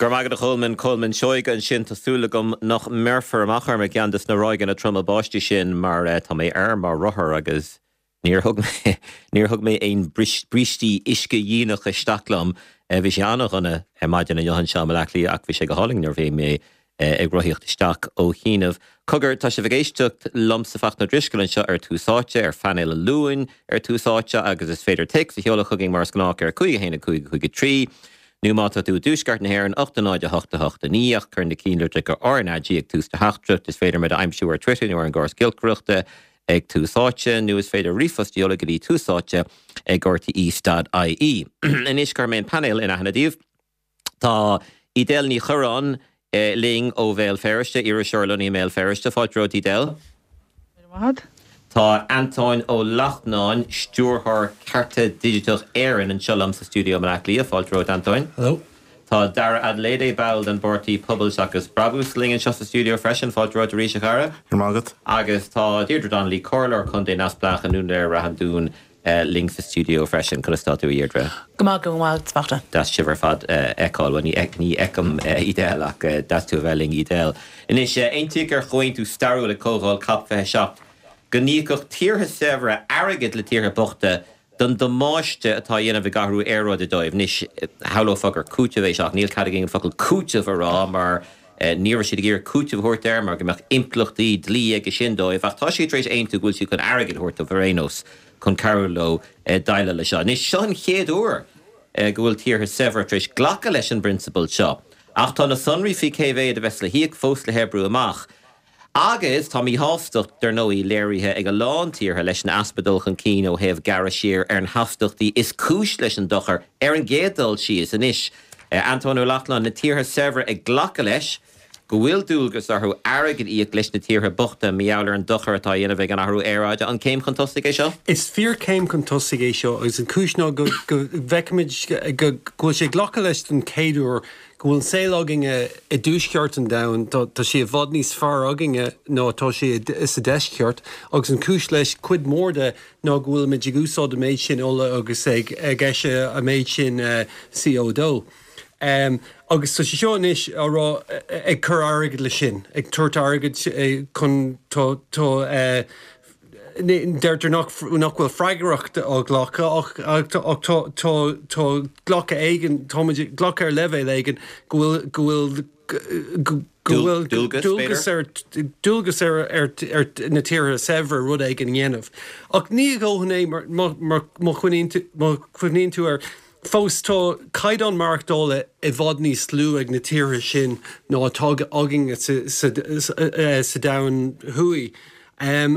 Go raibh maith agat a Cholmáin, Colmán Seoige ansin. Tá súil agam nach mbeirfear amach orm i gceann de na ráigeanna troma báistí sin mar tá mé ar mo rothar agus níor thug mé níor thug mé aon brístí uiscedhíonach isteach liom. Bhí sé an-dhona ar maidin inniu anseo i mBaile Átha Cliath ach bhí sé go hálainn nuair a bhí mé ag rothaíocht isteach ó chianaibh. Cogar, tá sibh ag éisteacht liomsa Fachtna Ó Drisceoil anseo ar Tús Áite, ar phainéal an Luain ar Tús Áite agus is féidir téacs a sheoladh chugainn mar is gnách ar 5 1 5 5 3 nó má tá tú i dtuaisceart na hÉireann 8 0 8 8 9 ach cuir na cinnlitreacha RnaG ag tús do theachtaireacht. Is féidir muid a aimsiú ar Twitter nó ar an gcóras giolcaireachta ag Tús Áite nó is féidir ríomhphost a sheoladh go dtí túsáite ag rte.ie. Anois cuirfidh mé an painéal in aithne daoibh. Tá Edel Ní Churráin linn ó Bhéal Feirste, iriseoir lonnaithe i mBéal Feirste. Fáilte romhat Edel. Go raibh maith agat. Tá Antóin Ó Lachtnáin, Stiúrthóir Cearta Digiteach Éireann anseo liom sa stiúideo i mBaile Átha Cliath. Fáilte romhat Antóin. Hello. Tá Dara Adelédè, ball den bpáirtí Pobal Seachas Brabús, linn anseo sa stiúideo freisin. Fáilte romhat arís, a Dhara. Go raibh maith agat. Agus tá Deirdre Donnelly, Comhairleoir Contae Neamhspleách i nDún Laoghaire-Rath an Dúin, linn sa stiúideo freisin. Conas tá tú, a Dheirdre? Go maith, go maith, a Fhachtna. Deas sibh ar fad a fheiceáil. Bhuel, ní fheicim Edel ach deas tú a bheith linn, Edel. Anois, aontaíodh ar chomhaontú stairiúil ag Comhdháil Cop 27 go n-íocfadh tíortha saibhre airgead le tíortha bochta don damáiste atá á dhéanamh ag athrú aeráide dóibh. Anois, shamhlófá gur cúiteamh é seo ach níl cead againn an focal cúiteamh a rá mar ní raibh siad ag iarraidh cúiteamh a thabhairt air mar go mbeadh impleachtaí dlí aige sin dóibh ach tá siad tar éis aontú go bhfuil siad chun airgead a thabhairt dóibh ar aon nós chun cabhrú leo déileáil leis seo. Anois, seo an chéad uair go bhfuil tíortha saibhre tar éis glacadh leis an bprionsabal seo ach tá na sonraí faoi cé mhéad a bheas le híoc fós le hoibriú amach. Agus tá míshástacht, dar ndóigh, léirithe ag a lán tíortha leis an easpa dul chun cinn ó thaobh gearradh siar ar na hastaíochtaí is cúis leis an dochar ar an gcéad dul síos. Anois, Antóin Ó Lachtnáin, na tíortha saibhre ag glacadh leis go bhfuil dualgas orthu airgead a íoc leis na tíortha bochta mar gheall ar an dochar atá á dhéanamh ag an athrú aeráide. An céim chun tosaigh é seo? Is fíorchéim chun tosaigh é seo agus an chúis ná go bhfeicimid go bhfuil sé glactha leis don chéad uair go bhfuil an saol againne i dtuaisceart an domhain, tá sé i bhfad níos fearr againne ná atá sé sa deisceart, agus an chúis leis, cuid mhór de, ná go bhfuilimid ag úsáid an méid sin ola agus ag eisiamh an méid sin CO2. Agus tá sé seo anois á rá, ag cur airgid leis sin, ag tabhairt airgid chun, tá, tá, Deirtear nach bhfuil freagracht á glacadh ach tá glacadh éigin, táimid ag glacadh ar leibhéal éigin go bhfuil, go bhfuil, go bhfuil dualgas ar, dualgas ar na tíortha saibhre rud éigin a dhéanamh. Ach ní a dhóthain é mar má chuimhníonn tú air, fós tá caighdeán maireachtála i bhfad níos lú ag na tíortha sin ná atá againne sa domhan thuaidh.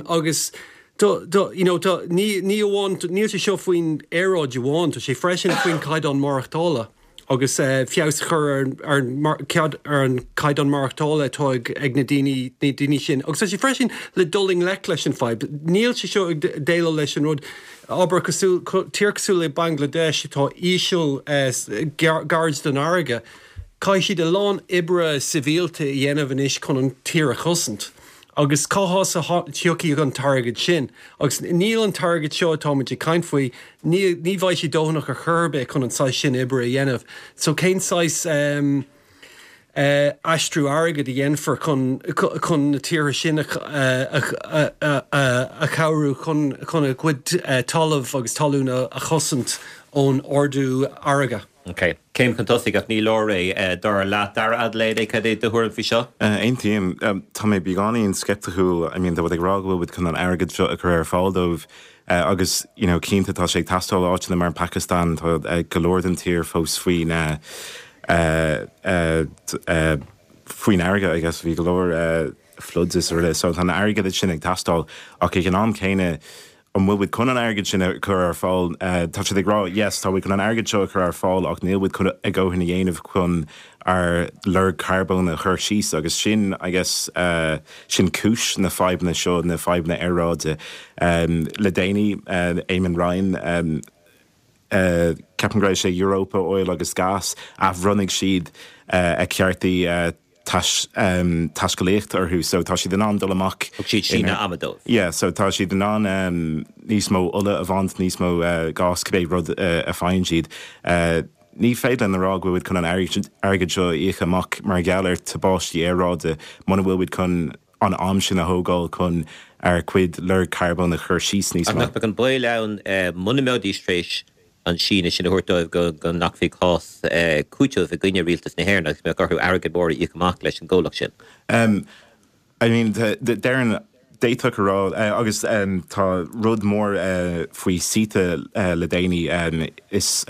Agus you know tá, ní ní amháin, níl sé seo faoin aeráid amháin, tá sé freisin faoin caighdeán maireachtála agus feabhas a chur ar ar ar an caighdeán maireachtála atá ag ag na daoine na daoine sin. Agus tá sé freisin le dul i ngleic leis an fadhb. Níl sé seo ag déileáil leis an rud, abair cosúil, tír cosúil le Bangladesh atá íseal gairid don fharraige, caithfidh siad a lán oibre sibhialta a dhéanamh anois chun an tír a chosaint. Agus cá has a thiocfaidh an t-airgead sin? Agus níl an t-airgead seo atáimid ag caint faoi, ní ní bheidh sé dóthanach ar chor ar bith chun an saghas sin oibre a dhéanamh. So cén saghas eh aistriú airgid a dhéanfar chun chun na tíortha sin a a a chabhrú chun chun a gcuid talamh agus talún a chosaint ón ardú farraige? Ok. Céim chun tosaigh ach ní leor é, dar leat. Dara Adelédè, cad é do thuairim faoi seo? Aontaím. Tá mé beagáinín sceipticiúil. I mean, tá muid ag rá go bhfuil muid chun an airgead seo a chur ar fáil dóibh agus, you know, cinnte tá sé ag teastáil áiteanna mar an Phacastáin, tá go leor den tír fós faoin faoin fharraige, I guess, bhí go leor floods is araile. So tá an airgead sin ag teastáil ach ag an am céanna, An bhfuil muid chun an airgead sin a chur ar fáil? Tá siad ag rá, yes, tá muid chun an airgead seo a chur ar fáil ach níl muid chun a dhóthain a dhéanamh chun ár lorg carbóin a chur síos agus sin, I guess, sin cúis na fadhbanna seo, na fadhbanna aeráide. Le déanaí, Eamon Ryan, ceapaim go raibh sé Europa Oil agus Gas, athbhronnaigh siad a ceartaí taiscéalaíocht orthu so tá siad in ann dul amach. Thug siad síneadh ama dóibh. Yeah, so tá siad in ann níos mó ola a bhaint, níos mó gás, cibé rud a faigheann siad. Ní féidir linn a rá go bhfuil muid chun an airgead seo a íoc amach mar gheall ar tubaistí aeráide muna bhfuil muid chun an am sin a thógáil chun ár gcuid lorg carbóin a chur síos níos mó. Ach nach mbeadh an baol ann muna mbeidís tar éis an síneadh sin a thabhairt dóibh go nglacfaí cás cúitimh i gcoinne rialtas na hÉireann agus go mbeadh orthu airgead mór a íoc amach leis an gcomhlacht sin? I mean, déarfainn, d'fhéadfadh a rá, agus tá rud mór faoi CETA le déanaí, is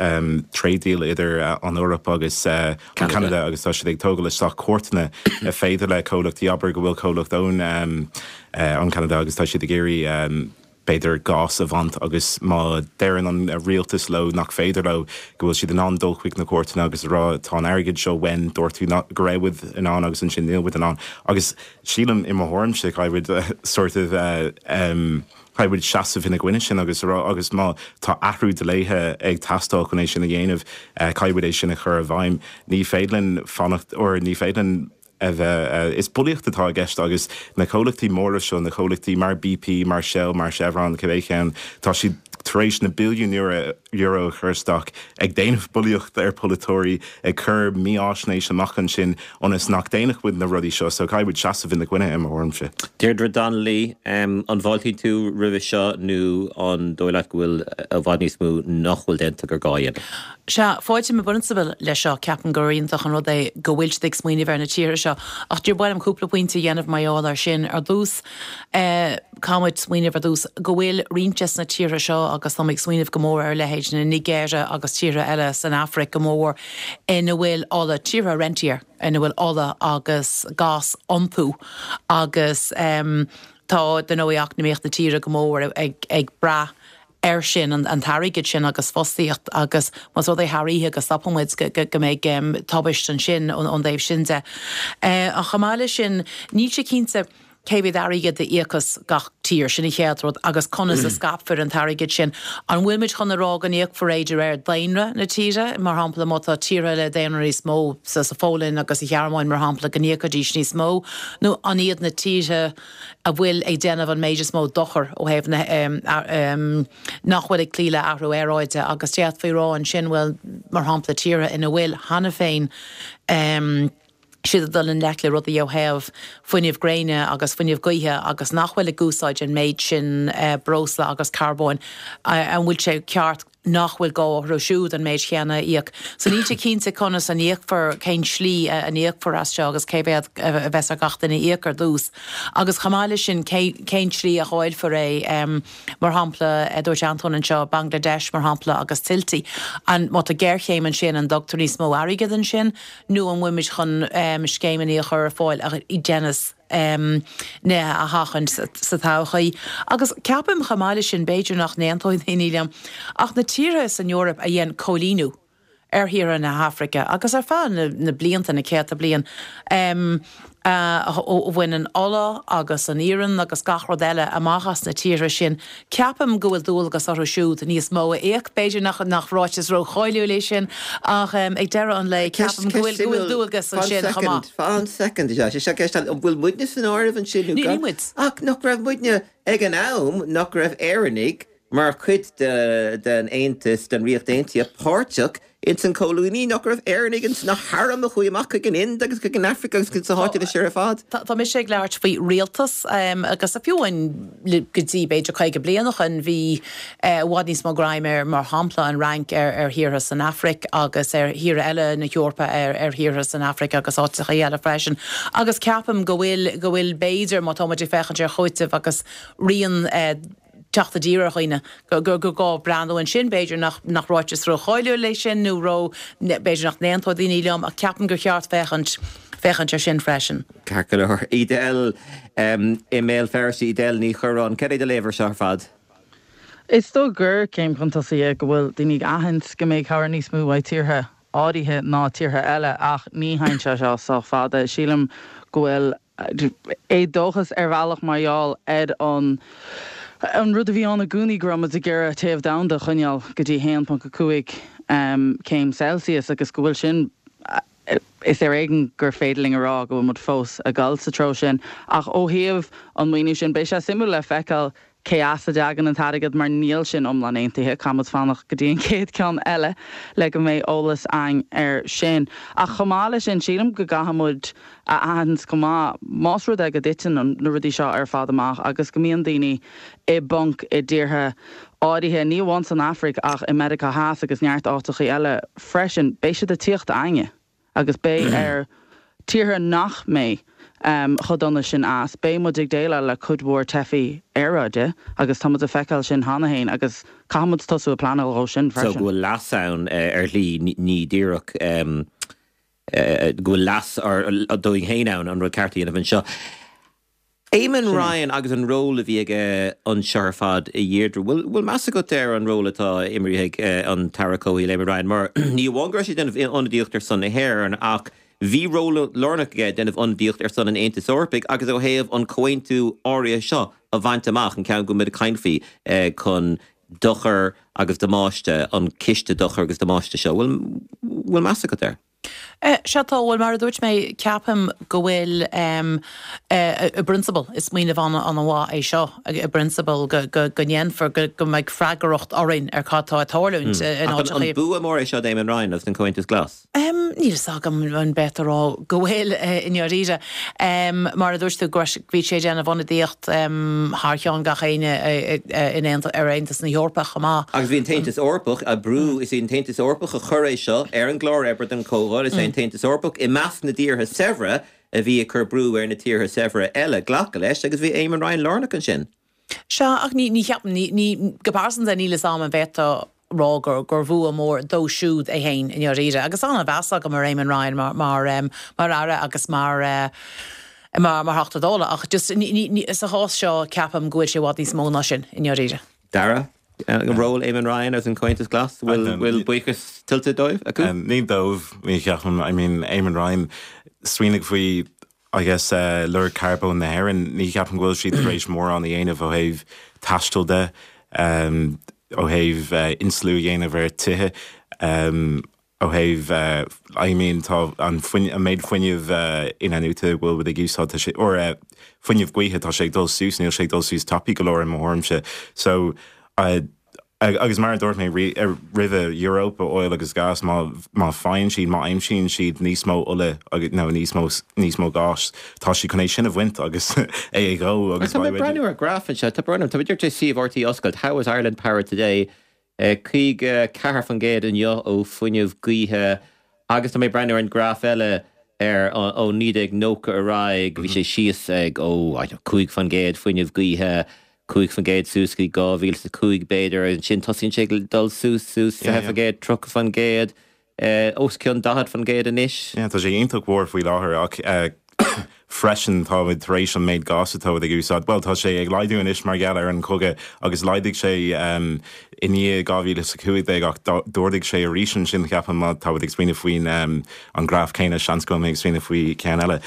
trade deal idir an Eoraip agus an Canada agus tá siad ag tógáil isteach cúirteanna féidir le comhlachtaí, abair go bhfuil comhlacht ón Canada agus tá siad ag iarraidh b'fhéidir, gás a bhaint agus má deireann an rialtas leo nach féidir leo, go bhfuil siad in ann dul chuig na cúirteanna agus a rá tá an airgead seo uainn, dúirt tú go raibh muid in ann agus ansin níl muid in ann. Agus sílim, i mo thuairimse, caithfidh muid sort of caithfidh muid seasamh ina gcoinne sin agus a rá agus má tá athrú dlíthe ag teastáil chun é sin a dhéanamh, caithfidh muid é sin a chur i bhfeidhm. Ní féidir linn fanacht or ní féidir linn a bheith. Is bulaíocht atá i gceist agus na comhlachtaí móra seo, na comhlachtaí mar BP, mar Shell, mar Chevron, cibé ceann, tá siad tar éis na billiúin euro a chur isteach ag déanamh bulaíocht ar pholaiteoirí, ag cur mífháisnéis amach ansin ionas nach ndéanfadh muid na rudaí seo. So caithfidh muid seasamh ina gcoinne, i mo thuairimse. Deirdre Donnelly, an bhfáiltíonn tú roimhe seo nó an dóigh leat go bhfuil i bhfad níos mó nach bhfuil déanta gur gá a dhéanamh? Sea, fáiltím i bprionsabal leis seo, ceapaim gur iontach an rud é go bhfuil siad ag smaoineamh ar na tíortha seo. Ach ba mhaith liom cúpla pointe a dhéanamh mar gheall air sin. Ar dtús, caithfimid smaoineamh ar dtús go bhfuil roinnt des na tíortha seo, agus táim ag smaoineamh go mór ar leithéid na Nigéire agus tíortha eile san Afraic go mór, ina bhfuil ola, tíortha rentier, ina bhfuil ola agus gás iontu agus tá, dar ndóigh, eacnamaíocht na tíre go mór ag brath air sin, an t-airgead sin agus fostaíocht agus más rud é thar oíche go stopann muid go mbeidh tubaist ansin ón dtaobh sin de. Ach chomh maith leis sin, níl sé cinnte cé mhéad airgead a íocfas gach tír, sin an chéad rud, agus conas a scaipfear an t-airgead sin. An bhfuil muid chun a rá go n-íocfar é de réir daonra na tíre? Mar shampla, má tá tíortha le daonra níos mó, sa Pholainn agus sa Ghearmáin, mar shampla, go n-íocfaidís níos mó? Nó an iad na tíortha a bhfuil ag déanamh an méid is mó dochair ó thaobh na, nach bhfuil ag cloí le athrú aeráide agus d'fhéadfaí a rá ansin, bhuel, mar shampla, tíortha ina bhfuil cheana féin siad ag dul i ngleic le rudaí ó thaobh fuinneamh gréine agus fuinneamh gaoithe agus nach bhfuil ag úsáid an méid sin breosla agus carbóin, an bhfuil sé ceart nach bhfuil gá orthu siúd an méid chéanna a íoc. So níl sé cinnte conas a n-íocfar, cén slí a n-íocfar as seo agus cé mhéad a bheas ar gach duine a íoc ar dtús. Agus chomh maith leis sin, cén tslí a dháilfear é. Mar shampla, dúirt Antóin anseo, Bangladesh mar shampla agus tuiltí. An, má tá géarchéim ansin, an dtugtar níos mó airgid ansin nó an bhfuil muid chun scéimeanna a chur ar fáil a dhéanfas nithe a sheachaint sa todhchaí. Agus ceapaim chomh maith leis sin, b'fhéidir nach n-aontóidh daoine liom, ach na tíortha san Eoraip a dhein coilíniú ar thíortha na hAfraice agus ar feadh na blianta, na céadta bliain, a bhain an ola agus an iarann agus gach rud eile amach as na tíortha sin, Ceapaim go bhfuil dualgas orthu siúd níos mó a íoc. B'fhéidir nach nach ráiteas rócháiliúil é sin ach ag deireadh an lae ceapaim go bhfuil go bhfuil dualgas ansin chomh maith. Fan soicind, is ea, seo ceist eile, an bhfuil muidne san áireamh ansin nó gan? Níl muid. Ach nach raibh muidne ag an am, nach raibh Éireannaigh mar chuid den Aontas, den Ríocht Aontaithe, páirteach Ins an choilíniú, nach raibh Éireannaigh ins na hairm a chuaigh amach chuig an Ind agus chuig an Afraic agus chuig na háiteanna sin ar fad. Tá mise ag labhairt faoi rialtas agus fiú amháin go dtí b'fhéidir 50 bliain ó shin bhí i bhfad níos mó greim ar, mar shampla, an Fhrainc ar thíortha san Afraic agus ar thíortha eile na hEorpa ar thíortha san Afraic agus áiteacha eile freisin. Agus ceapaim go bhfuil, go bhfuil b'fhéidir, má tá muid ag féachaint ar chúiteamh agus rian, teacht i dtír ar dhaoine, gur gá breathnú ansin. B'fhéidir nach nach ráiteas rócháiliúil é sin nó ró, b'fhéidir nach n-aontóidh daoine liom ach ceapaim gur cheart féachaint, féachaint air sin freisin. Ceart go leor. Edel i mBéal Feirste, Edel Ní Churráin, cad é do léamh ar seo ar fad? Is dóigh gur céim chun tosaigh é go bhfuil daoine ag aithint go mbeidh cabhair níos mó uaidh tíortha áirithe ná tíortha eile ach ní théann sé seo sách fada. Sílim go bhfuil éadóchas ar bhealach mar gheall ar an an rud a bhí ann i gcónaí go raibh muid ag iarraidh téamh domhanda a choinneáil go dtí 1.5 céim Celsius agus go bhfuil sin is ar éigean gur féidir linn a rá go bhfuil muid fós ag dul sa treo sin. Ach ó thaobh an maoiniú sin beidh sé suimiúil le feiceáil. cé as a dtagann an t-airgead mar níl sin iomlán aontaithe, caithfidh muid fanacht go dtí an chéad ceann eile le go mbeidh eolas againn air sin. Ach chomh maith leis sin, sílim go gcaithfidh muid a aithint chomh maith, más rud é go dtiteann na rudaí seo ar fad amach agus go mbíonn daoine i bponc i dtíortha áirithe, ní amháin san Afraic ach i Meiriceá Theas agus neart áiteachaí eile freisin, beidh siad ag tíocht againne agus beidh ar tíortha nach mbeidh chomh dona sin as, beidh muid ag déileáil le cuid mhór teifigh aeráide agus tá muid ag feiceáil sin cheana féin agus caithfidh muid tosú ag pleanáil dhó sin So freisin. go bhfuil leas ann ar shlí, ní díreach go bhfuil leas dúinn féin ann an rud ceart a dhéanamh anseo. Eamon Ryan agus an ról a bhí aige anseo ar fad, a Dheirdre, bhfuil meas agat ar an ról atá imrithe ag an tAire Comhshaoil Eamon Ryan mar ní amháin go raibh sé ag déanamh ionadaíocht ar son na hÉireann ach bhí ról lárnach aige ag déanamh ionadaíocht ar son an Aontais Eorpaigh agus ó thaobh an comhaontú áirithe seo a bhaint amach, an ceann go bhfuil muid ag caint faoi chun dochar agus damáiste, an ciste dochar agus damáiste seo. Bhfuil meas agat air? Sea tá, bhuel mar a dúirt mé, ceapaim go bhfuil i bprionsabal, is smaoineamh an-mhaith é seo, i bprionsabal go ndéanfar, go mbeidh freagracht orainn ar cad tá ag tarlúint in áiteachaí. Ach an bua mór é seo d'Éamon Ryan agus don Chomhaontas Glas? Níl fhios agam an b'fhéidir a rá go bhfuil, i ndáiríre. Mar a dúirt tú, bhí sé ag déanamh ionadaíocht thar cheann gach éinne in ar Aontas na hEorpa chomh maith. Agus bhí an tAontas Eorpach ag brú, is é an tAontas Eorpach a chuir é seo ar an gclár oibre don Chomhdháil, is é an tAontas Eorpach i measc na dtíortha saibhre a bhí ag cur brú ar na tíortha saibhre eile glacadh leis agus bhí Éamon Ryan lárnach ansin. Sea, ach ní, ní cheapaim, ní, ní, go pearsanta níl fhios a'm an bhféadfá rá gur, gur bhua mór dó siúd é fhéin i ndáiríre. Agus an-mheas agam ar Éamon Ryan mar, mar, mar Aire agus mar, mar, mar Theachta Dála ach just ní, ní, ní, sa chás seo ceapaim go bhfuil sé i bhfad níos mó ná sin i ndáiríre. Dara, ról Éamon Ryan agus an Comhaontas Glas, bhfuil, bhfuil buíochas tuillte dóibh, acu? Ní dóibh, ní cheapaim, I mean, Éamon Ryan, smaoinigh faoi I guess lorg carbóin na hÉireann, ní cheapaim go bhfuil siad tar éis mórán a dhéanamh ó thaobh taistil de, ó thaobh insliú a dhéanamh ar tithe, ó thaobh, I mean tá an an méid fuinnimh in-athnuaite a bhfuil muid ag úsáid, tá sé, or fuinneamh gaoithe, tá sé ag dul suas, níl sé ag dul suas tapaidh go leor i mo thuairimse. So, Agus mar a dúirt mé roimhe, Europa Oil agus Gas, má má faigheann siad, má aimsíonn siad níos mó ola agus nó níos mó níos mó gáis, tá siad chun é sin a bhaint agus é a dhó agus Tá mé ag breathnú ar graf anseo, tá brón orm, tá mé díreach tar éis suíomh RTÉ a oscailt, How is Ireland Powered Today? 54% inniu ó fuinneamh gaoithe Agus tá mé ag breathnú ar an graf eile ar ó 1990 ar aghaidh, bhí sé síos ag, ó, I don't know, 5% fuinneamh gaoithe, 5% suas go dtí 2005 b'fhéidir, agus ansin tosaíonn sé ag dul suas, suas, 20%, 30%, os cionn 40% anois. Yeah, tá sé iontach mhór faoi láthair ach Freisin, táimid tar éis an méid gáis atáimid ag úsáid, bhuel, tá sé ag laghdú anois mar gheall ar an chogadh agus laghdaigh sé i ndiaidh 2015 ach d'ardaigh sé arís ansin, ceapaim, má táimid ag smaoineamh faoin an graf céanna, seans go bhfuil mé ag smaoineamh faoi cheann eile.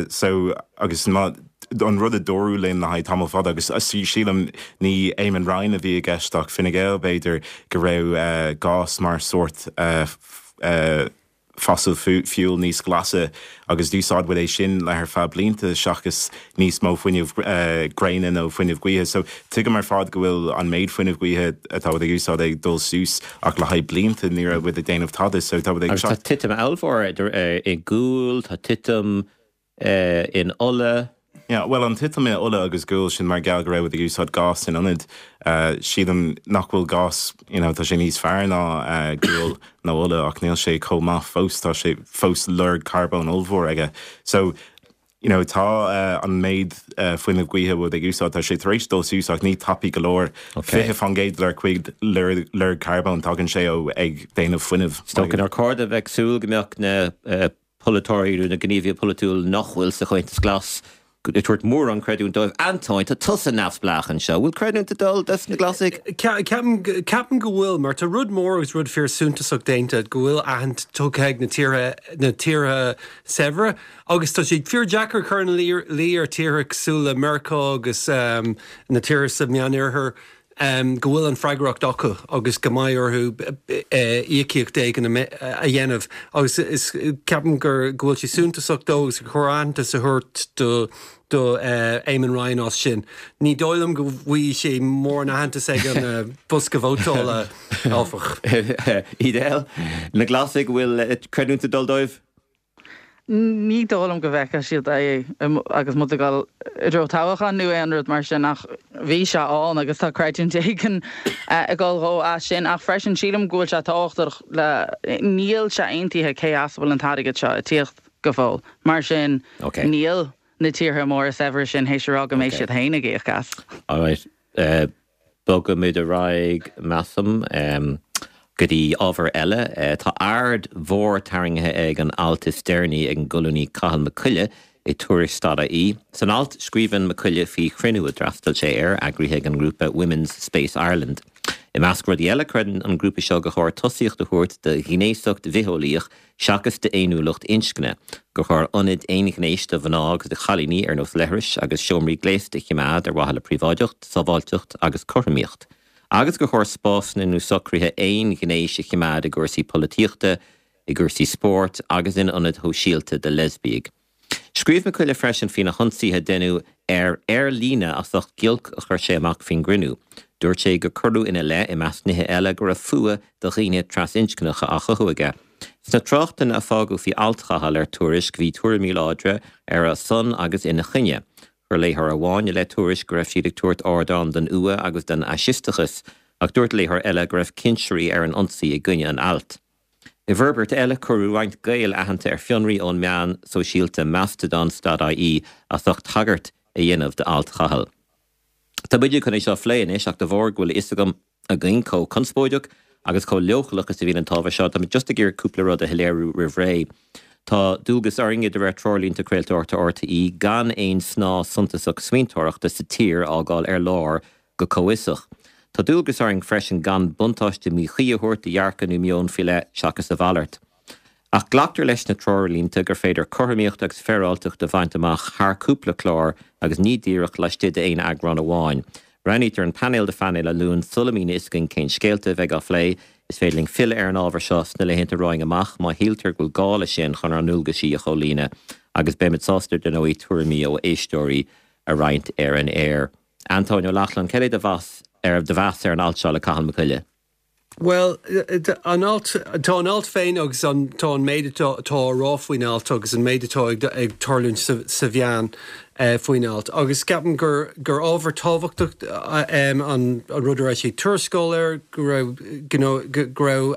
So, agus má, an rud a dúradh linn le haghaidh tamall fada agus sílim ní Eamon Ryan a bhí i gceist ach Fine Gael b'fhéidir, go raibh gás mar sórt fossil fuel níos glasa agus d'úsáid muid é sin le ar feadh blianta seachas níos mó fuinneamh gréine nó fuinneamh gaoithe. So tuigim ar fad go bhfuil an méid fuinneamh gaoithe atá muid ag úsáid ag dul suas ach le haghaidh blianta ní raibh muid ag déanamh tada so tá muid ag Agus tá titim ollmhór i gual, tá titim in ola. Yeah, bhuel an titim i ola agus gual sin mar gheall go raibh muid ag úsáid gás in ionad. Sílim nach bhfuil gás, you know, tá sé níos fearr ná gual nó ola ach níl sé chomh maith fós, tá sé fós lorg carbóin ollmhór aige. So, you know, tá an méid fuinneamh gaoithe muid ag úsáid, tá sé tar éis dul suas ach ní tapaidh go leor. Okay. 20% dár gcuid lorg carbóin tagann sé ó ag déanamh fuinnimh. Is dócha nár chóir a bheith ag súil go mbeadh na polaiteoirí nó na gníomhaithe polaitiúil nach bhfuil sa Chomhaontas Glas ag tabhairt mórán creidiúint dóibh. Antóin, tá tusa neamhspleách anseo. Bhfuil creidiúint ag dul dos na Glasaigh? Ceapaim go bhfuil, mar tá rud mór agus rud fíor suntasach déanta, go bhfuil aithint tugtha ag na tíortha, na tíortha saibhre agus tá sé fíor deacair cur ina luí ar tíortha cosúil le Meiriceá agus na tíortha sa Meánoirthear. go bhfuil an freagracht acu agus go mbeidh orthu íocaíocht éigin a dhéanamh agus is ceapaim gur go bhfuil sé suntasach dó agus gur chóir aitheantas a thabhairt do do Eamon Ryan as sin. Ní dóigh liom go bhfaighidh sé mórán aitheantas ag an bosca vótála, áfach. Edel, Na Glasaigh, an bhfuil creidiúint ag dul dóibh? Ní dóigh liom go bhfeicfidh siad é agus muid ag dul i dtreo toghcháin nó aon rud mar sin ach bhí sé ann agus tá creidiúint éigin ag dul dhó as sin. Ach freisin sílim go bhfuil sé tábhachtach le, níl sé aontaithe cé as a bhfuil an t-airgead seo ag tíocht go fóill. Mar sin níl na tíortha móra saibhre sin théis a rá go mbeidh siad féin ag íoc as. Alright. Bogfaimid ar aghaidh, measaim, go dtí ábhar eile. Tá aird mhór tarraingthe ag an alt is deireanaí ag an gcolúnaí Cathal Mac Coille i Tuairisc.ie. San alt, scríobhann Mac Coille faoi chruinniú a d'fhreastail sé air, eagraithe ag an ngrúpa Women's Space Ireland. I measc rudaí eile, creideann an grúpa seo gur chóir tosaíocht a thabhairt do ghnéasacht bhitheolaíoch seachas d'fhéiniúlacht inscne, gur chóir ionaid aonghnéis do mhná agus do chailíní ar nós leithris agus seomraí gléasta a choimeád ar mhaithe le príobháideacht, sábháilteacht agus cothromaíocht, agus gur chóir spásanna nó socruithe aonghnéis a choimeád i gcúrsaí polaitíochta, i gcúrsaí spóirt agus in ionaid shóisialta do leisbiaigh. Scríobh Mac Coille freisin faoi na hionsaithe a deineadh air ar líne as ucht giolc a chuir sé amach faoin gcruinniú. Dúirt sé gur cuireadh ina leith, i measc nithe eile, go raibh fuath do dhaoine trasinscneacha á chothú aige. Sna tráchtanna a fágadh faoi alt Chathail ar Tuairisc bhí tuairimí láidre ar a son agus ina choinne. Chuir léitheoir amháin i leith Tuairisc go raibh siad ag tabhairt ardán don fhuath agus don fhaisisteachas, ach dúirt léitheoir eile go raibh cinsirí ar an ionsaí i gcoinne an ailt. I bhforbairt eile, cuireadh roinnt Gael aitheanta ar fionraí ón meán sóisialta Mastodon stad ie as ucht tagairt a dhéanamh d'alt Chathail. Tá muide chun é seo a phlé anois ach de bharr go bhfuil a fhios agam, againn, chomh conspóideach agus chomh leochaileach is a bhíonn an t-ábhar seo, tá mé just ag iarraidh cúpla rud a shoiléiriú roimh ré. Tá dualgas orainne, de réir Treoirlínte Craoltóireachta RTÉ, gan aon snáth suntasach smaointeoireachta sa tír a fhágáil ar lár go comhfhiosach. Tá dualgas orainn freisin gan buntáiste míchuí a thabhairt do dhearcadh nó meon faoi leith seachas a mhalairt. Ach glactar leis sna treoirlínte gur féidir cothromaíocht agus féaráilteacht a bhaint amach thar cúpla clár agus ní díreach laistigh d'aon eagrán amháin. Roghnaítear an painéal do phainéal an Luain sula mbíonn a fhios againn cén scéalta a bheidh á phlé. Is féidir linn filleadh ar an ábhar seo sna laethanta romhainn amach má shíltear go bhfuil gá leis sin chun ár ndualgaisí a chomhlíonadh agus beimid sásta, dar ndóigh, tuairimí ó éisteoirí a roinnt ar an aer. Antóin Ó Lochlainn, cad é do mheas ar do mheas ar an alt seo le Cathal Mac Coille? Bhuel, an alt, tá an alt féin agus an, tá an méid atá á rá faoin alt agus an méid atá ag, ag tarlúint sa, sa mheán faoin alt. Agus ceapaim gur, gur ábhar tábhachtach an, an rud a raibh sé ag tuarascáil air, go raibh, you know, go raibh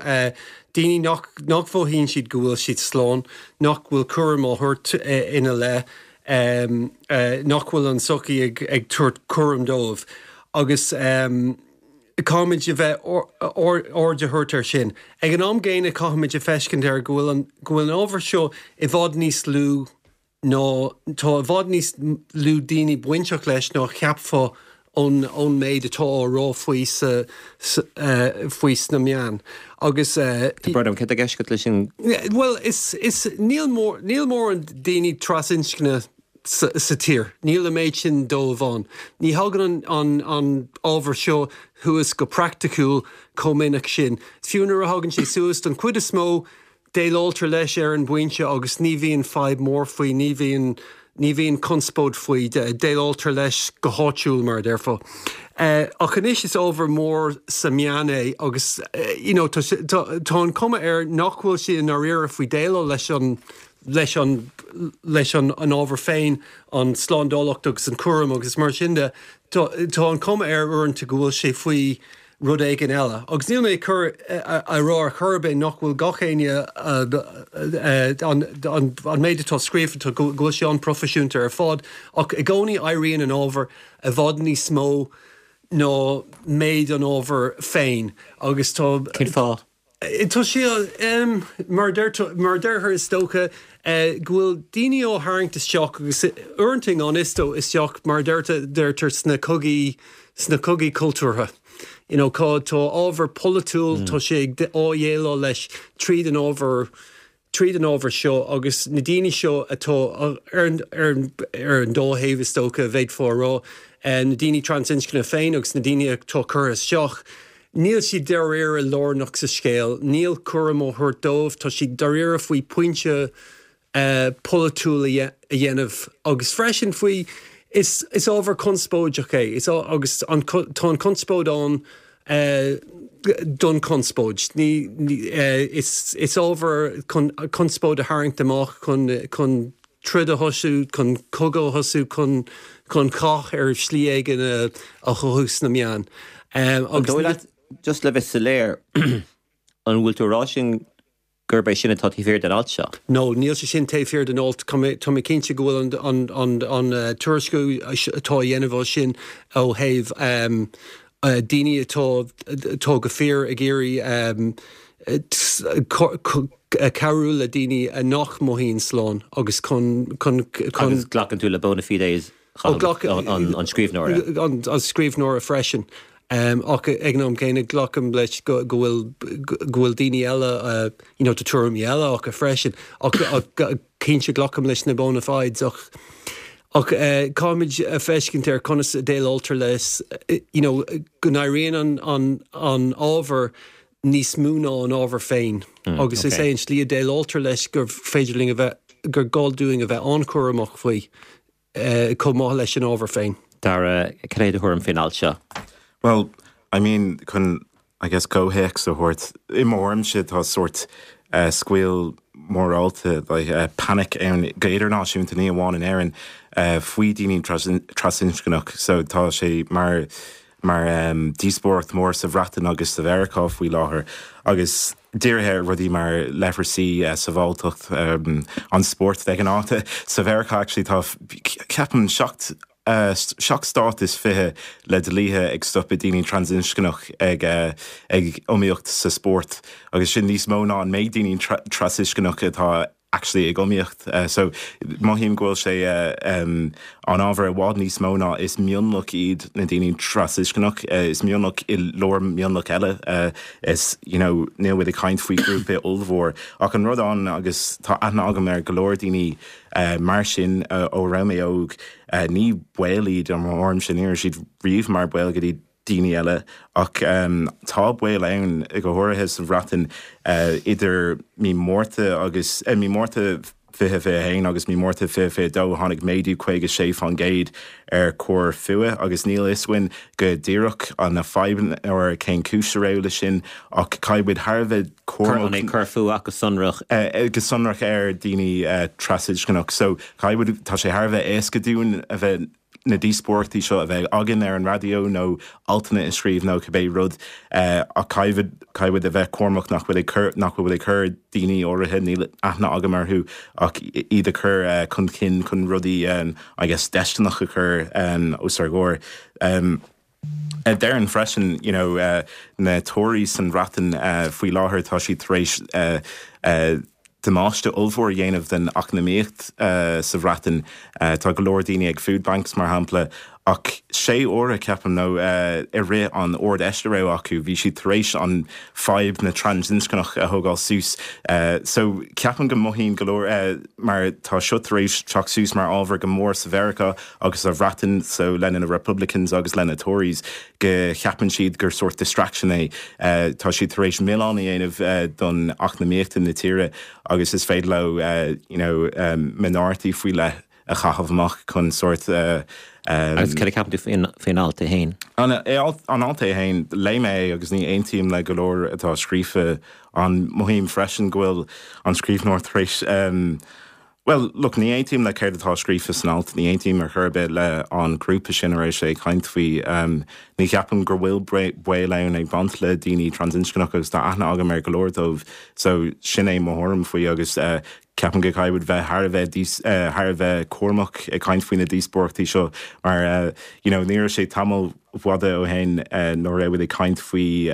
daoine nach, nach mhothaíonn siad go bhfuil siad slán, nach bhfuil cúram á thabhairt ina leith, nach bhfuil an tsochaí ag tabhairt cúram dóibh agus caithfimid a bheith aird a thabhairt air sin. Ag an am gcéanna caithfimid a feiscint air go bhfuil an go bhfuil an ábhar seo i bhfad níos lú ná tá i bhfad níos lú daoine bainteach leis ná cheapfá ón ón méid atá á rá faoi sa faoi sna meáin agus. Tá brón orm, céard atá i gceist agat leis sin? Bhuel, is is níl mór níl mórán daoine trasinscne sa sa tír. Níl an méid sin dóibh ann. Ní thagann an an an ábhar seo thuas go praiticiúil chomh minic sin. Fiú nuair a thagann sé suas, don chuid is mó, Déileáiltear leis ar an bpointe agus ní bhíonn fadhb mhór faoi, ní bhíonn, ní bhíonn conspóid faoi, déileáiltear leis go háitiúil, mar a déarfá. Ach anois is ábhar mór sa meán é agus you know tá, tá an chuma air nach bhfuil siad i ndáiríre faoi déileáil leis an, leis an, leis an an ábhar féin, an tslándálacht agus an cúram agus mar sin de. Tá, tá an chuma air uaireanta go bhfuil sé faoi, rud éigin eile. Agus níl mé ag cur a rá ar chor ar bith nach bhfuil gach éinne an méid atá scríofa go bhfuil sé an-proifisiúnta ar fad, ach i gcónaí éiríonn an ábhar i bhfad níos mó ná méid an ábhair féin agus tá. Cén fáth? Tá sé, mar a deirtear is dócha, go bhfuil daoine á tharraingt isteach agus uaireanta i ngan fhios dó isteach mar a deirtear sna cogaí, sna cogaí cultúrtha. You know, tá ábhar polaitiúil, tá sé ag á dhéileáil leis tríd an ábhar, tríd an ábhar seo agus na daoine seo atá ar an, ar an, ar an dá thaobh is dócha, bhféadfá a rá. na daoine trasinscne féin agus na daoine atá curtha isteach, níl siad dáiríre lárnach sa scéal, níl cúram á thabhairt dóibh, tá siad dáiríre faoi pointe polaitiúil a dhéanamh agus freisin faoi, is ábhar conspóideach é is agus an tá an conspóid ann don chonspóid. Ní is ábhar chun conspóid a tharraingt amach chun chun troid a thosú, chun cogadh a thosú, chun chun cath ar shlí éigin a chothú sna meáin. An dóigh leat, just le bheith soiléir, an bhfuil tú ag rá sin gurb é sin atá taobh thiar den alt seo? No, níl sé sin taobh thiar den alt. Tá mé, tá mé cinnte go bhfuil an, an, an, an tuairisciú atá á dhéanamh as sin ó thaobh daoine atá, atá go fíor ag iarraidh cabhrú le daoine nach mothaíonn slán agus chun, chun, chun. Agus glacann tú le bona fides an scríbhneora. An scríbhneora freisin. Ach ag an am céanna glacaim leis go bhfuil go bhfuil daoine eile you know tá tuairimí eile acu freisin. Ach cinnte glacaim leis na bona fides ach ach caithfimid a feiscint ar conas a déileáiltear leis you know go n-éiríonn an an an ábhar níos mó ná an ábhar féin agus is é an slí a déileáiltear leis gur féidir linn a bheith gur gá dúinn a bheith an-chúramach faoi. chomh maith leis an ábhar féin. Dara, cad é do thuairim faoin alt seo? Bhuel, I mean, chun, I guess, comhthéacs a thabhairt, i mo thuairimse tá sórt scaoll mórálta, like, panic ann go idirnáisiúnta, ní amháin in Éirinn, faoi daoine trasinscneach. So tá sé mar, mar díospóireacht mór sa Bhreatain agus sa Mheiriceá faoi láthair agus dírithe ar rudaí mar leithreasaí, sábháilteacht, an spórt de ghnáth. Sa Mheiriceá actually tá ceapaim 7 7 stát is 20 le dlíthe ag stopadh daoine trasinscneach ag ag iomaíocht sa spórt agus sin níos mó ná an méid daoine trasinscneach atá actually ag iomaíocht. So mothaím go bhfuil sé an ábhar i bhfad níos mó ná is mionlach iad na daoine trasinscneach, is mionlach i lár mionlach eile. Is you know níl muid ag caint faoi ghrúpa ollmhór. Ach an rud ann agus tá aithne agam ar go leor daoine mar sin ó raibh mé óg, ní baol iad i mo thuairimse, ní raibh siad riamh mar baol go dtí daoine eile, ach tá baol ann, go háirithe sa Bhreatain, idir mí Márta agus, mí Márta 2021 agus mí Márta 2022 tháinig méadú 56% ar choir fuath agus níl fhios againn go díreach na fadhbanna nó ar cén cúis a raibh le sin ach caithfidh muid thar a bheith cúramach. An é coir fuath go sonrach? Go sonrach ar daoine trasinscneach. So caithfidh muid, tá sé thar a bheith éasca dúinn a bheith na díospóireachtaí seo a bheith againn ar an raidió nó altanna a scríobh nó cibé rud ach caithfidh muid a bheith cúramach nach bhfuil ag cur, nach bhfuil ag cur daoine áirithe, níl aithne agam orthu, ach iad a chur chun cinn chun rudaí I guess deisteanach a chur os ár gcomhair. Déarfainn freisin, you know, na Tories san Bhreatain faoi láthair, tá siad tar éis damáiste ollmhór a dhéanamh den eacnamaíocht sa Bhreatain. Tá go leor daoine ag food banks, mar shampla. Ach sé huaire, ceapaim, nó i rith an Ard-Fheis a raibh acu, bhí siad tar éis an fadhb na trasinscneach a thógáil suas. So, ceapaim go mothaíonn go leor, mar tá seo tar éis teacht suas mar ábhar go mór sa Mheiriceá, agus sa Bhreatain so lena na Republicans agus lena Tories go cheapann siad gur sórt distraction é. Tá siad tar éis milleán a dhéanamh don eacnamaíocht na tíre agus is féidir leo you know minority faoi leith a chaitheamh amach chun sórt Agus cad a cheapann tú faoin alt é féin? An alt é féin, léigh mé é agus ní aontaím le go leor atá scríofa ann. Mothaím freisin go bhfuil an scríbhneoir tar éis Bhuel, look, ní aontaím le céard atá scríofa san alt, ní aontaím ar chor ar bith le an grúpa sin a raibh sé ag caint faoi. Ní cheapaim gur bhfuil baol ann ag baint le daoine trasinscneach agus tá aithne agam ar go leor dóibh so sin é mo thuairim faoi agus ceapaim go caithfidh muid bheith thar a bheith thar a bheith cúramach ag caint faoi na díospóireachtaí seo mar you know ní raibh sé tamall fada ó shin nuair a raibh muid ag caint faoi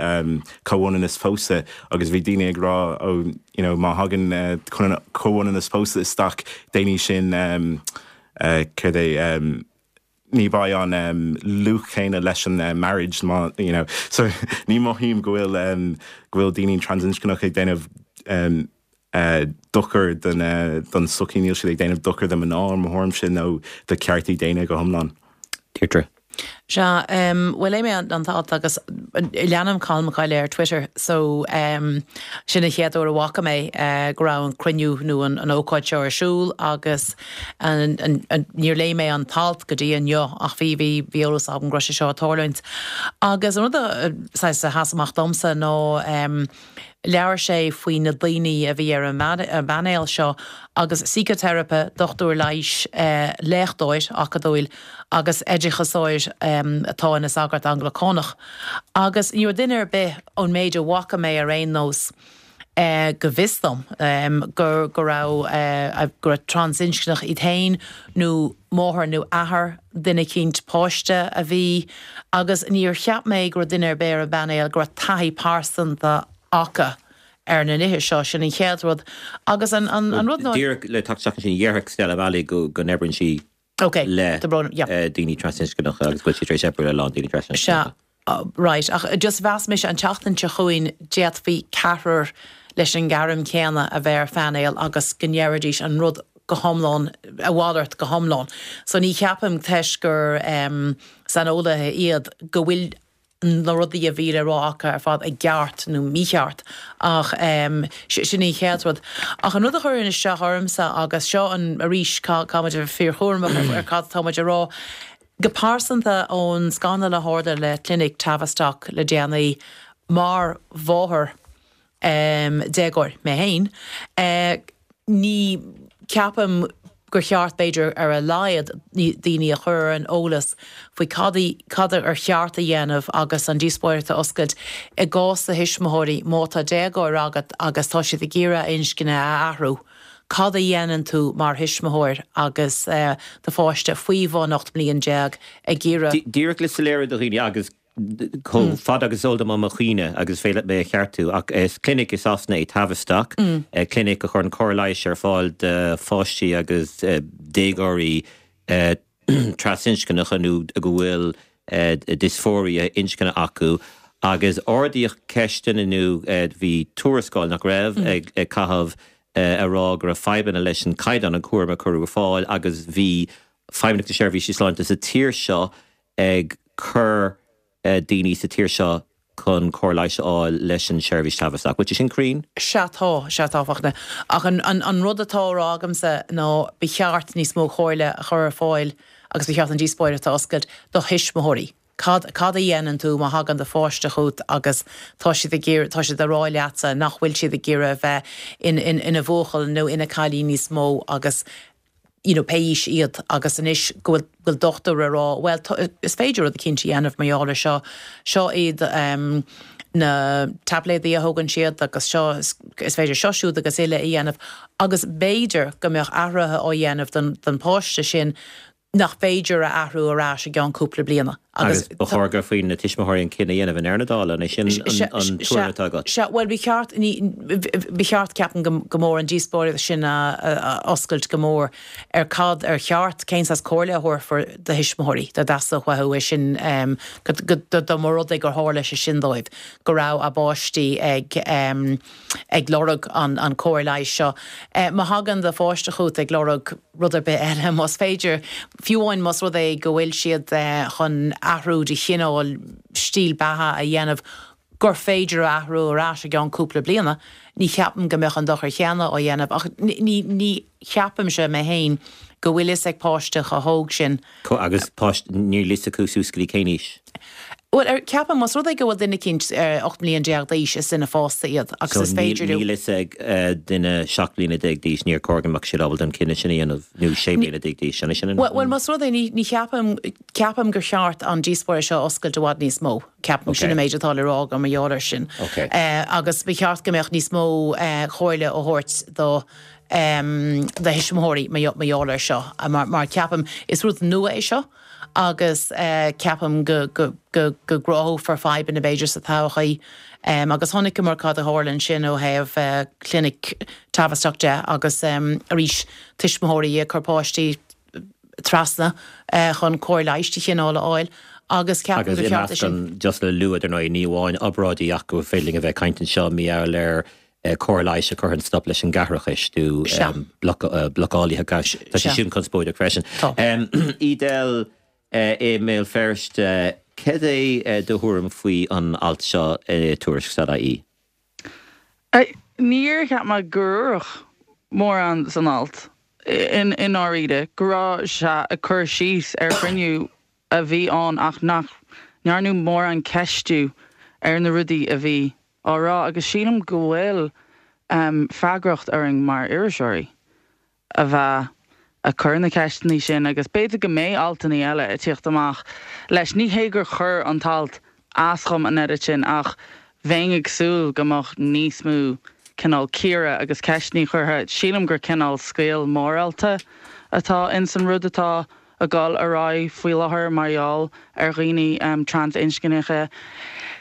chomhionannas pósta agus bhí daoine ag rá ó you know má thagann comhionannas pósta isteach déanfaidh sin céard é ní bheidh an luach céanna leis an marriage má you know so ní mothaím go bhfuil go bhfuil daoine trasinscneach ag déanamh dochar don tsochaí, níl siad ag déanamh dochar do mná i mo thuairimse nó do cheartaí daonna go hiomlán. Deirdre. Sea, bhuel léigh mé an t-alt agus leanaim Colm Mac Coille ar Twitter so sin an chéad uair a bhfaca mé go raibh an cruinniú nó an ócáid seo ar siúl agus níor léigh mé an t-alt go dtí inniu ach bhí bhí bhí eolas agam go raibh sé seo ag tarlúint. Agus an rud a saghas a sheas amach domsa ná Labhair sé faoi na daoine a bhí ar an bpainéal seo agus síciteiripe, dochtúir leighis, léachtóir acadúil agus oideachasóir atá ina sagart Anglacánach. Agus ní raibh duine ar bith, ón méid a bhfaca mé ar aon nós, go bhfios dom, go go raibh go raibh trasinscneach iad féin nó máthair nó athair duine eicínt, páiste a bhí, agus níor cheap mé go raibh duine ar bith ar an bpainéal go raibh taithí pearsanta acu ar na nithe seo, sin an chéad rud. Agus an rud ná. Díreach le teacht isteach ansin, dhéarfadh Stella O'Malley go n-oibríonn sí le daoine trasinscneacha agus go bhfuil sí tar éis oibriú le a lán daoine trasinscneacha. Sea. Right, ach just mheas mise an tseachtain seo chugainn d'fhéadfaí ceathrar leis an ngairm chéanna a bheith ar phainéal agus go ndéarfaidís an rud go hiomlán, a mhalairt go hiomlán. So ní cheapaim toisc gur saineolaithe iad go bhfuil na rudaí a bhí le rá acu ar fad i gceart nó mícheart ach sin an chéad rud. Ach an rud a chuireann isteach ormsa agus seo an arís caithfidh muid a bheith fíorchúramach ar cad atá muid a rá, Go pearsanta, ón scannal a tharla le Clinic Tavistock le déanaí, mar mháthair déagóir mé féin, ní ceapaim gur cheart, b'fhéidir, ar a laghad, daoine a chur ar an eolas faoi cad cad ar cheart a dhéanamh agus an díospóireacht a oscailt i gcás do thuismitheoirí má tá déagóir agat agus tá siad ag iarraidh a inscne a athrú. Cad a dhéanann tú mar thuismitheoir agus do pháiste faoi bhun 18 mbliain ag iarraidh. Díreach le soiléiriú do dhaoine, agus chomh fada agus is eol dom ó mo chuimhne, agus féadfaidh mé a cheartú, ach is clinic i Sasana é Tavistock, clinic a chuireann cóir leighis ar fáil do pháistí agus déagóirí trasinscneacha nó go bhfuil diosfóiria inscne acu agus ardaíodh ceisteanna nó bhí tuarascáil, nach raibh, ag caitheamh a rá go raibh fadhbanna leis an caighdeán an cúram a cuireadh ar fáil agus bhí Feidhmeannacht na Seirbhíse Sláinte sa tír seo ag cur daoine sa tír seo chun cóir leighis a fháil leis an seirbhís Tavistock. Bhfuil sé sin cruinn? Sea tá, sea tá, Fachtna. Ach an, an, an rud atá á rá agamsa ná ba cheart níos mó comhairle a chur ar fáil agus ba cheart an díospóireacht a oscailt do thuismitheoirí. Cad, cad a dhéanann tú má thagann do pháiste chugat agus tá siad ag iarraidh, tá siad ag rá leatsa nach bhfuil siad ag iarraidh a bheith in, in, ina bhuachaill nó ina cailín níos mó agus you know, pé aois iad agus anois go bhfuil, bhfuil dochtúir ag rá, bhuel, tá, is féidir rud eicínt a dhéanamh mar gheall ar seo, seo iad um, na taibléadaí a thógann siad agus seo, is, is féidir seo siúd agus uile a dhéanamh agus b'fhéidir go mbeadh athruithe á dhéanamh don, don pháiste sin nach féidir a athrú ar ais i gceann cúpla bliana. Agus ba chóir gur faoi na tuismitheoirí an cinneadh a dhéanamh i ndeireadh na dála, an é sin an tuairim atá agat? Sea, bhuel, ba cheart, ba cheart, ceapaim, go mór an díospóireacht sin a oscailt go mór ar cad ar cheart, cén saghas comhairle a thabharfar do thuismitheoirí dá dteastódh uathu é sin, dá mba rud é gur tharla sé sin dóibh, go raibh a bpáistí ag ag lorg an cóir leighis seo. Má thagann do pháiste chugat ag lorg rud ar bith eile, más féidir, fiú amháin más rud é go bhfuil siad chun athrú de chineál stíl beatha a dhéanamh gur féidir a athrú ar ais i gceann cúpla bliana, ní cheapaim go mbeadh an dochar chéanna á dhéanamh. Ach ní ní cheapaimse mé féin go bhfuil fhios ag páiste chomh hóg sin. Agus páiste, níl fhios acu suas go dtí cén aois? Bhuel, ar, ceapaim, más rud é go bhfuil duine eicínt 18 mbliain d'aois, is duine fásta iad agus is féidir leo. So níl fhios ag duine 17 bliana d'aois, níor chóir go mbeadh siad ábalta an cinneadh sin a dhéanamh, nó 16 bliana d'aois, an é sin an. Bhuel, más rud é, ní, ní cheapaim, ceapaim gur cheart an díospóireacht seo a oscailt i bhfad níos mó. Ceapaim, sin an méid atá le rá agam mar gheall air sin. Agus ba cheart go mbeadh níos mó comhairle á thabhairt do, do thuismitheoirí mar gheall air seo, mar, mar ceapaim, is rud nua é seo. agus ceapaim go gcruthófar fadhbanna b'fhéidir sa todhchaí. Agus chonaiceamar cad a tharla ansin ó thaobh clinic Tavistock de agus arís tuismitheoirí ag cur páistí trasna chun cóir leighis de chineál a fháil agus ceapaim gur cheart é sin. Just le lua, dar ndóigh, ní amháin obráidí ach go féidir linn a bheith ag caint anseo mar gheall ar cóir leighis a chuireann stop leis an gceathaireachas nó blocálaithe gais. Tá sé sin conspóideach freisin. Edel. i mBéal Feirste, cad é do thuairim faoi an alt seo i Tuairisc.ie? Níor cheap mé gur dúradh mórán san alt, i ndáiríre, go raibh sé ag cur síos ar chruinniú a bhí ann ach nach ndearnadh mórán ceistiú ar na rudaí a bhí á rá agus sílim go bhfuil freagracht orainn mar iriseoirí. a bheith ag cur na ceisteanna sin agus b'fhéidir go mbeidh altanna eile ag tíocht amach leis. Ní hé gur chuir an t-alt as dhom an oiread sin ach bheinn ag súil go mbeadh níos mó cineál cíoradh agus ceisteanna curtha. Sílim gur cineál scaoll mórálta atá ins an rud atá ag dul ar aghaidh faoi láthair mar gheall ar dhaoine trasinscneacha.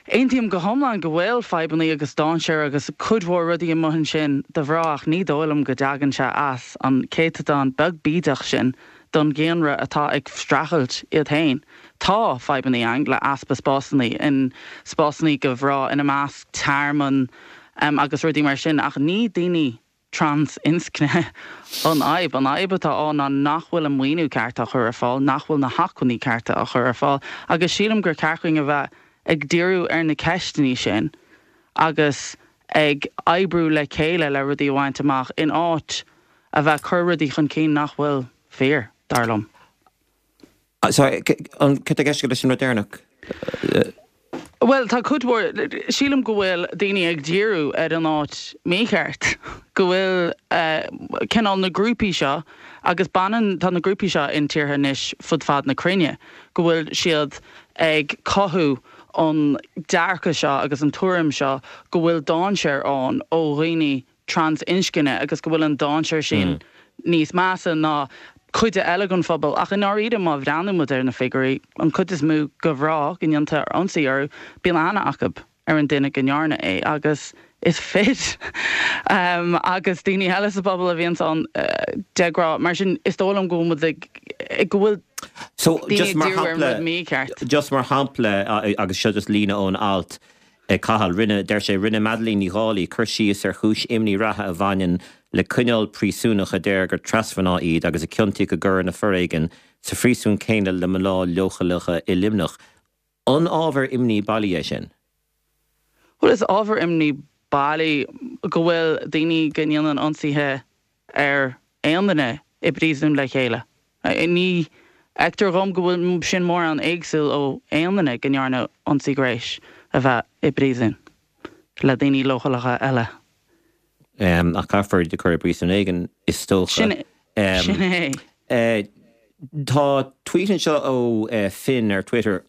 Aontaím go hiomlán go bhfuil fadhbanna agus dainséar agus cuid mhór rudaí amuigh ansin do mhná ach ní dóigh liom go dtagann sé as an céatadán beag bídeach sin don dhaonra atá ag streachailt iad féin. Tá fadhbanna ann le easpa spásanna in spásanna do mhná ina measc tearmann agus rudaí mar sin ach ní daoine trans-inscne an fhadhb. An fhadhb atá ann ná nach bhfuil an maoiniú ceart á chur ar fáil, nach bhfuil na hacmhainní cearta á chur ar fáil agus sílim gur ceart dhúinn a bheith ag díriú ar na ceisteanna sin agus ag oibriú le chéile le rudaí a bhaint amach in áit a bheith ag cur rudaí chun cinn nach bhfuil fíor, dar liom. Sorry, an cad tá i gceist agat leis an rud deireanach? Bhuel, tá cuid mhór, sílim go bhfuil daoine ag díriú ar an áit mícheart, go bhfuil cineál na grúpaí seo, agus baineann, tá na grúpaí seo in tíortha anois fud fad na cruinne, go bhfuil siad ag cothú an dearcadh seo agus an tuairim seo go bhfuil dainséar ann ó dhaoine trans-inscne agus go bhfuil an dainséar sin níos measa ná cuid eile den phobal. Ach i ndáiríre, má bhreathnaíonn muid ar na figiúirí, an cuid is mó de mhná go ndéantar ionsaí orthu, bíonn aithne acu ar an duine go ndearna é agus is fir agus daoine eile sa phobal a bhíonns ann de ghnáth. Mar sin, is dóigh liom go bhfuil muid ag, go bhfuil So, daoine just ag mar díriú ar an shampla, rud mícheart. just mar shampla, agus seo just líne ón alt, Ag Cathal, rinne, deir sé, rinne Madeleine Ní Dhálaigh cur síos ar chúis imní reatha a bhaineann le coinneáil príosúnach a deir gur trasmhná iad agus a ciontaíodh i gcoireanna foréigin sa phríosún céanna le mná leochaileacha i Luimneach. An ábhar imní bailí é sin? Bhuel, is ábhar imní bailí go bhfuil daoine go ndéanann ionsaithe ar aon duine i bpríosún le chéile. Ní fheictear dhom go bhfuil sin mórán éagsúil ó aon duine go ndearnadh ionsaí gnéis a bheith i bpríosún le daoine leochaileacha eile. Ach caithfear iad a chur i bpríosún éigin, is dócha. Sin é. Tá tweet anseo ó Finn ar Twitter.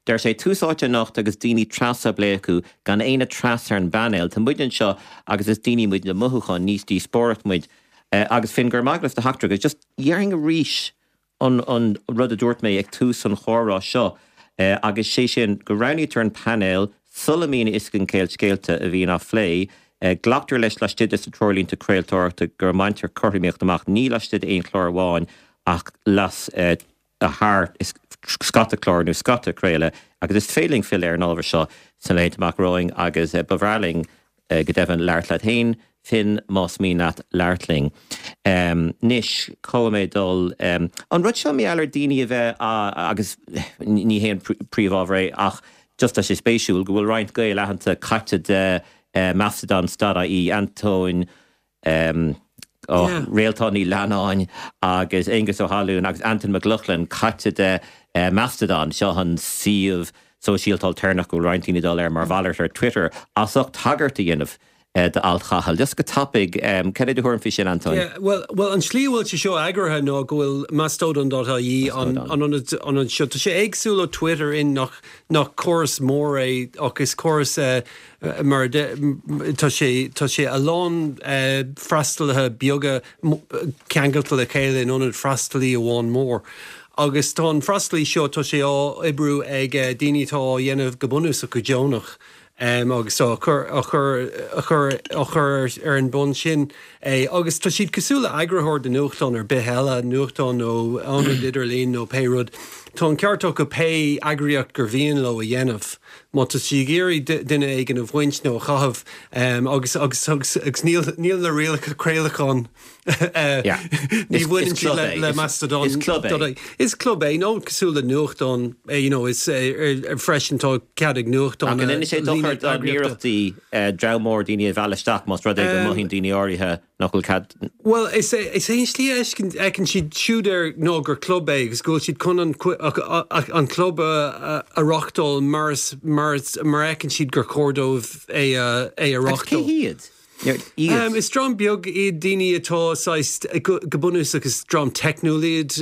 Deir sé, Tús áite anocht agus daoine tras á bplé acu, gan éinne tras ar an bpainéal. Tá muid anseo agus is daoine muid le mothúcháin, ní díospóireacht muid. Agus Finn, go raibh maith agat as do theachtaireacht. Agus just déarfainn arís an an rud a dúirt mé ag tús an chomhrá seo, agus sé sin go roghnaítear an painéal sula mbíonn a fhios againn cén scéalta a bhíonn á phlé. Glactar leis laistigh de na treoirlínte craoltóireachta go mbaintear cothromaíocht amach, ní laistigh d'aon chlár amháin ach las thar scata clár nó scata craoladh agus is féidir linn filleadh ar an ábhar seo sna laethanta amach romhainn agus ba bhreá linn go deimhin labhairt leat féin, Finn, más mian leat labhairt linn. Anois, caithfidh mé dul. An rud seo mar gheall ar daoine a bheith agus ní hé an príomhábhar é ach just tá sé spéisiúil go bhfuil roinnt Gael aitheanta caite de Mastodon dot ie, Antóin Réaltán Ní Leannáin agus Aengus Ó hAlmhain agus Antain Mac Lochlainn caite de Mastodon, seo an suíomh sóisialta ailtéarnach go bhfuil roinnt daoine ag dul air mar mhalairt ar Twitter, as ucht tagairt a dhéanamh d'alt Chathail. Just go tapaidh, cad é do thuairim faoi sin, Antóin? Yeah, bhuel, bhuel, an tslí a bhfuil sé seo eagraithe ná go bhfuil Mastodon dot ie an an ionad ionad seo. Tá sé éagsúil ó Twitter in nach nach córas mór é ach is córas mar a tá sé tá sé a lán freastalaithe beaga ceangailte le chéile in ionad freastalaí amháin mór. Agus tá an freastalaí seo tá sé á oibriú ag daoine atá á dhéanamh go bunúsach go deonach agus á chur á chur á chur á chur ar an mbonn sin é. Agus tá siad cosúil le eagarthóir de nuachtán ar bith eile, nuachtán nó ionad idirlín nó pé rud. tá an ceart acu pé eagraíocht gur mhian leo a dhéanamh. Má tá siad ag iarraidh duine éigin a bhaint nó a chaitheamh agus agus agus agus níl níl na rialacha craolacháin ní bhaineann siad le Mastodon. Is club é. Is club é nó cosúil le nuachtán you know is freisin tá cead ag nuachtán. Ach an ndéanann sé dochar dá n-iarrachtaí dream mór daoine a mhealladh isteach más rud é go mothaíonn daoine áirithe nach bhfuil cead. Bhuel, is é is é an slí a fheiceann siad siúd air ná gur club é agus go bhfuil siad chun an an club a a reáchtáil mar is mar is mar a fheiceann siad gur chóir dóibh é a é a Agus cé reáchtáil. hiad? Iad? Is dream beag iad daoine atá saghas, go bunúsach is dream teicniúil iad.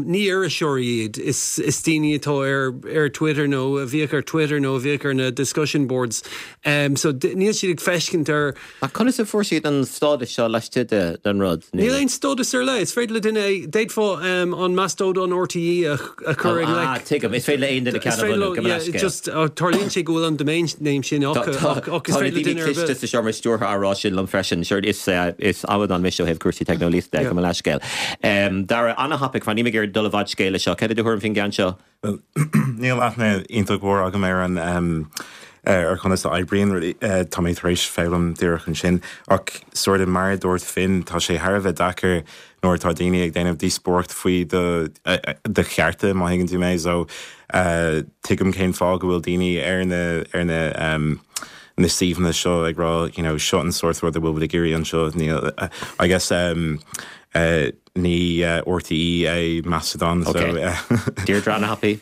Ní iriseoirí iad, is is daoine atá ar ar Twitter nó a bhíodh ar Twitter nó a bhíodh ar na discussion boards. So níl siad ag feiscint ar. Ach conas a fuair siad an stádas seo laistigh den rud? Níl aon stádas ar leith. Is féidir le duine é, d'fhéadfá an Mastodon RTE a chur i ngleic. Ah, tuigim. Is féidir le aon duine ceann a bhunú, gabh mo leithscéal. Just, tarlaíonn sé go bhfuil an domain name sin acu ach is féidir le duine ar bith. Tá na daoine cliste sa seomra stiúrtha á rá sin liom freisin. Sure, is amadán mise ó thaobh cúrsaí teicneolaíochta de, gabh mo leithscéal. Dara, an-thapaidh, mar níl mé ag iarraidh dul i bhfad scéil leis seo. Cad é do thuairim faoin gceann seo? Bhuel, níl aithne iontach mhór agam ar an ar conas a oibríonn rudaí. Tá mé tar éis foghlaim díreach ansin. Ach sort of mar a dúirt Finn, tá sé thar a bheith deacair nuair atá daoine ag déanamh díospóireacht faoi do do chearta, má thuigeann tú mé. So, tuigim cén fáth go bhfuil daoine ar na ar na na suíomhanna seo ag rá, you know, seo an sórt rud a bhfuil muid ag iarraidh anseo. Níl, I guess, Ní RTÉ é Mastodon so. Deirdre an-thapaidh.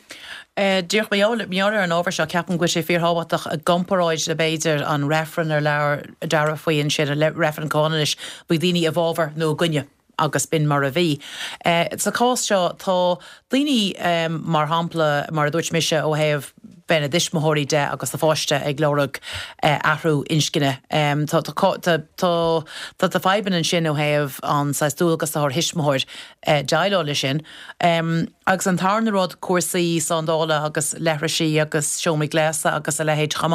Díreach mar gheall ar an ábhar seo, ceapaim go bhfuil sé fíorthábhachtach i gcomparáid le b'fhéidir an reifreann ar labhair Dara faoi ansin, an reifreann comhionannais, bhí daoine i bhfabhar nó i gcoinne agus b'in mar a bhí. Sa chás seo tá daoine, mar shampla, mar a dúirt mise ó thaobh bheith ina dtuismitheoirí de agus do pháiste ag lorg athrú inscne. Tá tá fadhbanna ansin ó thaobh an saghas dualgas atá ar thuismitheoir déileáil leis sin. Agus an tarna rud, cúrsaí slándála agus leithrisí agus seomraí gléasta agus a leithéid chomh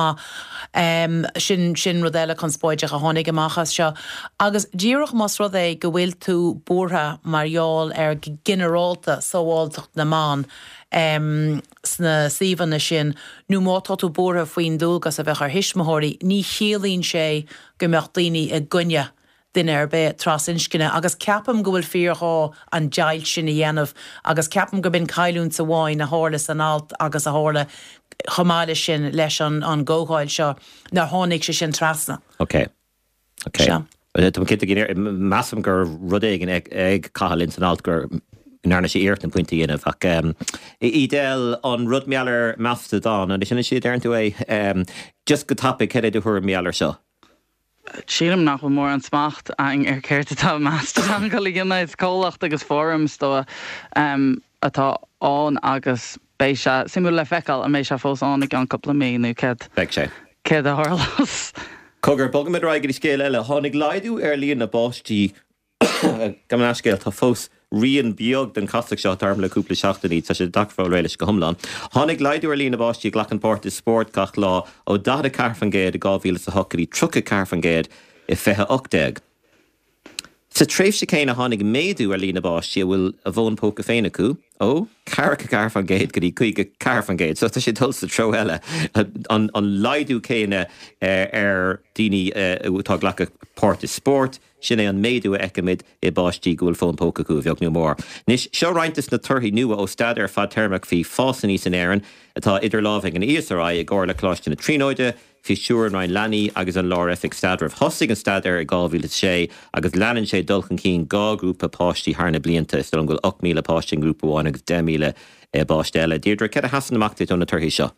maith. Sin sin rud eile conspóideach a tháinig amach as seo. Agus díreach más rud é go bhfuil tú buartha mar gheall ar go ginearálta sábháilteacht na mban, sna suíomhanna sin, nó má tá tú buartha faoin dualgas a bheadh ar thuismitheoirí, ní chiallaíonn sé go mbeadh daoine i gcoinne duine ar bith trasinscne agus ceapaim go bhfuil fíorghá an deighilt sin a dhéanamh agus ceapaim gurb in cailliúint amháin a tharla san alt agus a tharla chomh maith leis sin leis an gcomhdháil seo nár tháinig sé sin trasna. Ok. Ok. Sea. Tá mé cinnte go measaim go raibh rud éigin ag Cathal ins an alt go ndearna sé iarracht an pointe a dhéanamh ach Edel, an rud mar gheall ar Mastodon, an é sin an slí a deireann tú é? Just go tapaidh, cad é do thuairim mar gheall ar seo? Sílim nach bhfuil mórán smacht againn ar céard atá Mastodon ag dul a dhéanamh. Is comhlacht agus fóram is dóigh atá ann agus beidh sé suimiúil le feiceáil an mbeidh sé fós ann i gceann cúpla mí nó céard Beidh sé. céard a tharlós. Cogar, bogfaimid ar aghaidh go dtí scéal eile. Tháinig laghdú ar líon na bpáistí Gabh mo leithscéal, tá fós rian beag den chasacht seo atá orm le cúpla seachtainí, tá sé deacair fáil réidh leis go hiomlán. Tháinig laghdú ar líon na bpáistí a ghlacann páirt i spórt gach lá ó 44% i 2008 go dtí 34% i 2018. Sa tréimhse céanna tháinig méadú ar líon na bpáistí a bhfuil a bhfón póca féin acu, ó 44% go dtí 54%. So tá sé ag dul sa treo eile, an laghdú céanna ar daoine atá ag glacadh páirt i spórt, sin é an méadú a fheicimid i bpáistí go bhfuil fón póca acu, a bheag nó a mhór. Anois, seo roinnt des na torthaí nua ó staidéar fadtéarmach faoi fás aníos in Éirinn atá idir lámha ag an ESRI i gcomhar le Coláiste na Tríonóide, Faoi stiúir an Roinn Leanaí agus an Lár-Oifig Staidrimh. Thosaigh an staidéar i 2006 agus leanann sé dul chun cinn 2 ghrúpa páistí thar na blianta. Is dóigh liom go bhfuil 8,000 páiste i ngrúpa amháin agus 10,000 i bpáiste eile. Deirdre, céard a sheasann amach duit ó na torthaí seo?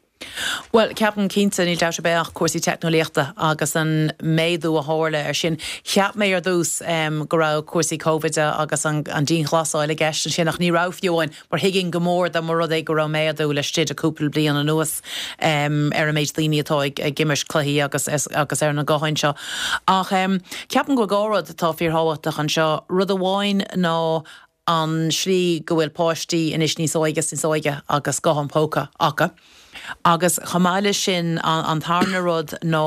Bhuel, ceapaim cinnte, níl dabht ar bith ach cúrsaí teicneolaíochta agus an méadú a tharla ar sin. Cheap mé ar dtús go raibh cúrsaí Covid agus an dianghlasáil i gceist ansin ach ní raibh fiú amháin. Mar thuigfinn go mór dá mba rud é go raibh méadú laistigh de cúpla bliain anuas ar an méid daoine atá ag imirt cluichí agus agus ar na gutháin seo. Ach ceapaim go bhfuil dhá rud atá fíorthábhachtach anseo. Rud amháin ná an slí go bhfuil páistí anois níos óige is níos óige agus guthán póca acu. Agus chomh maith leis sin an tarna rud ná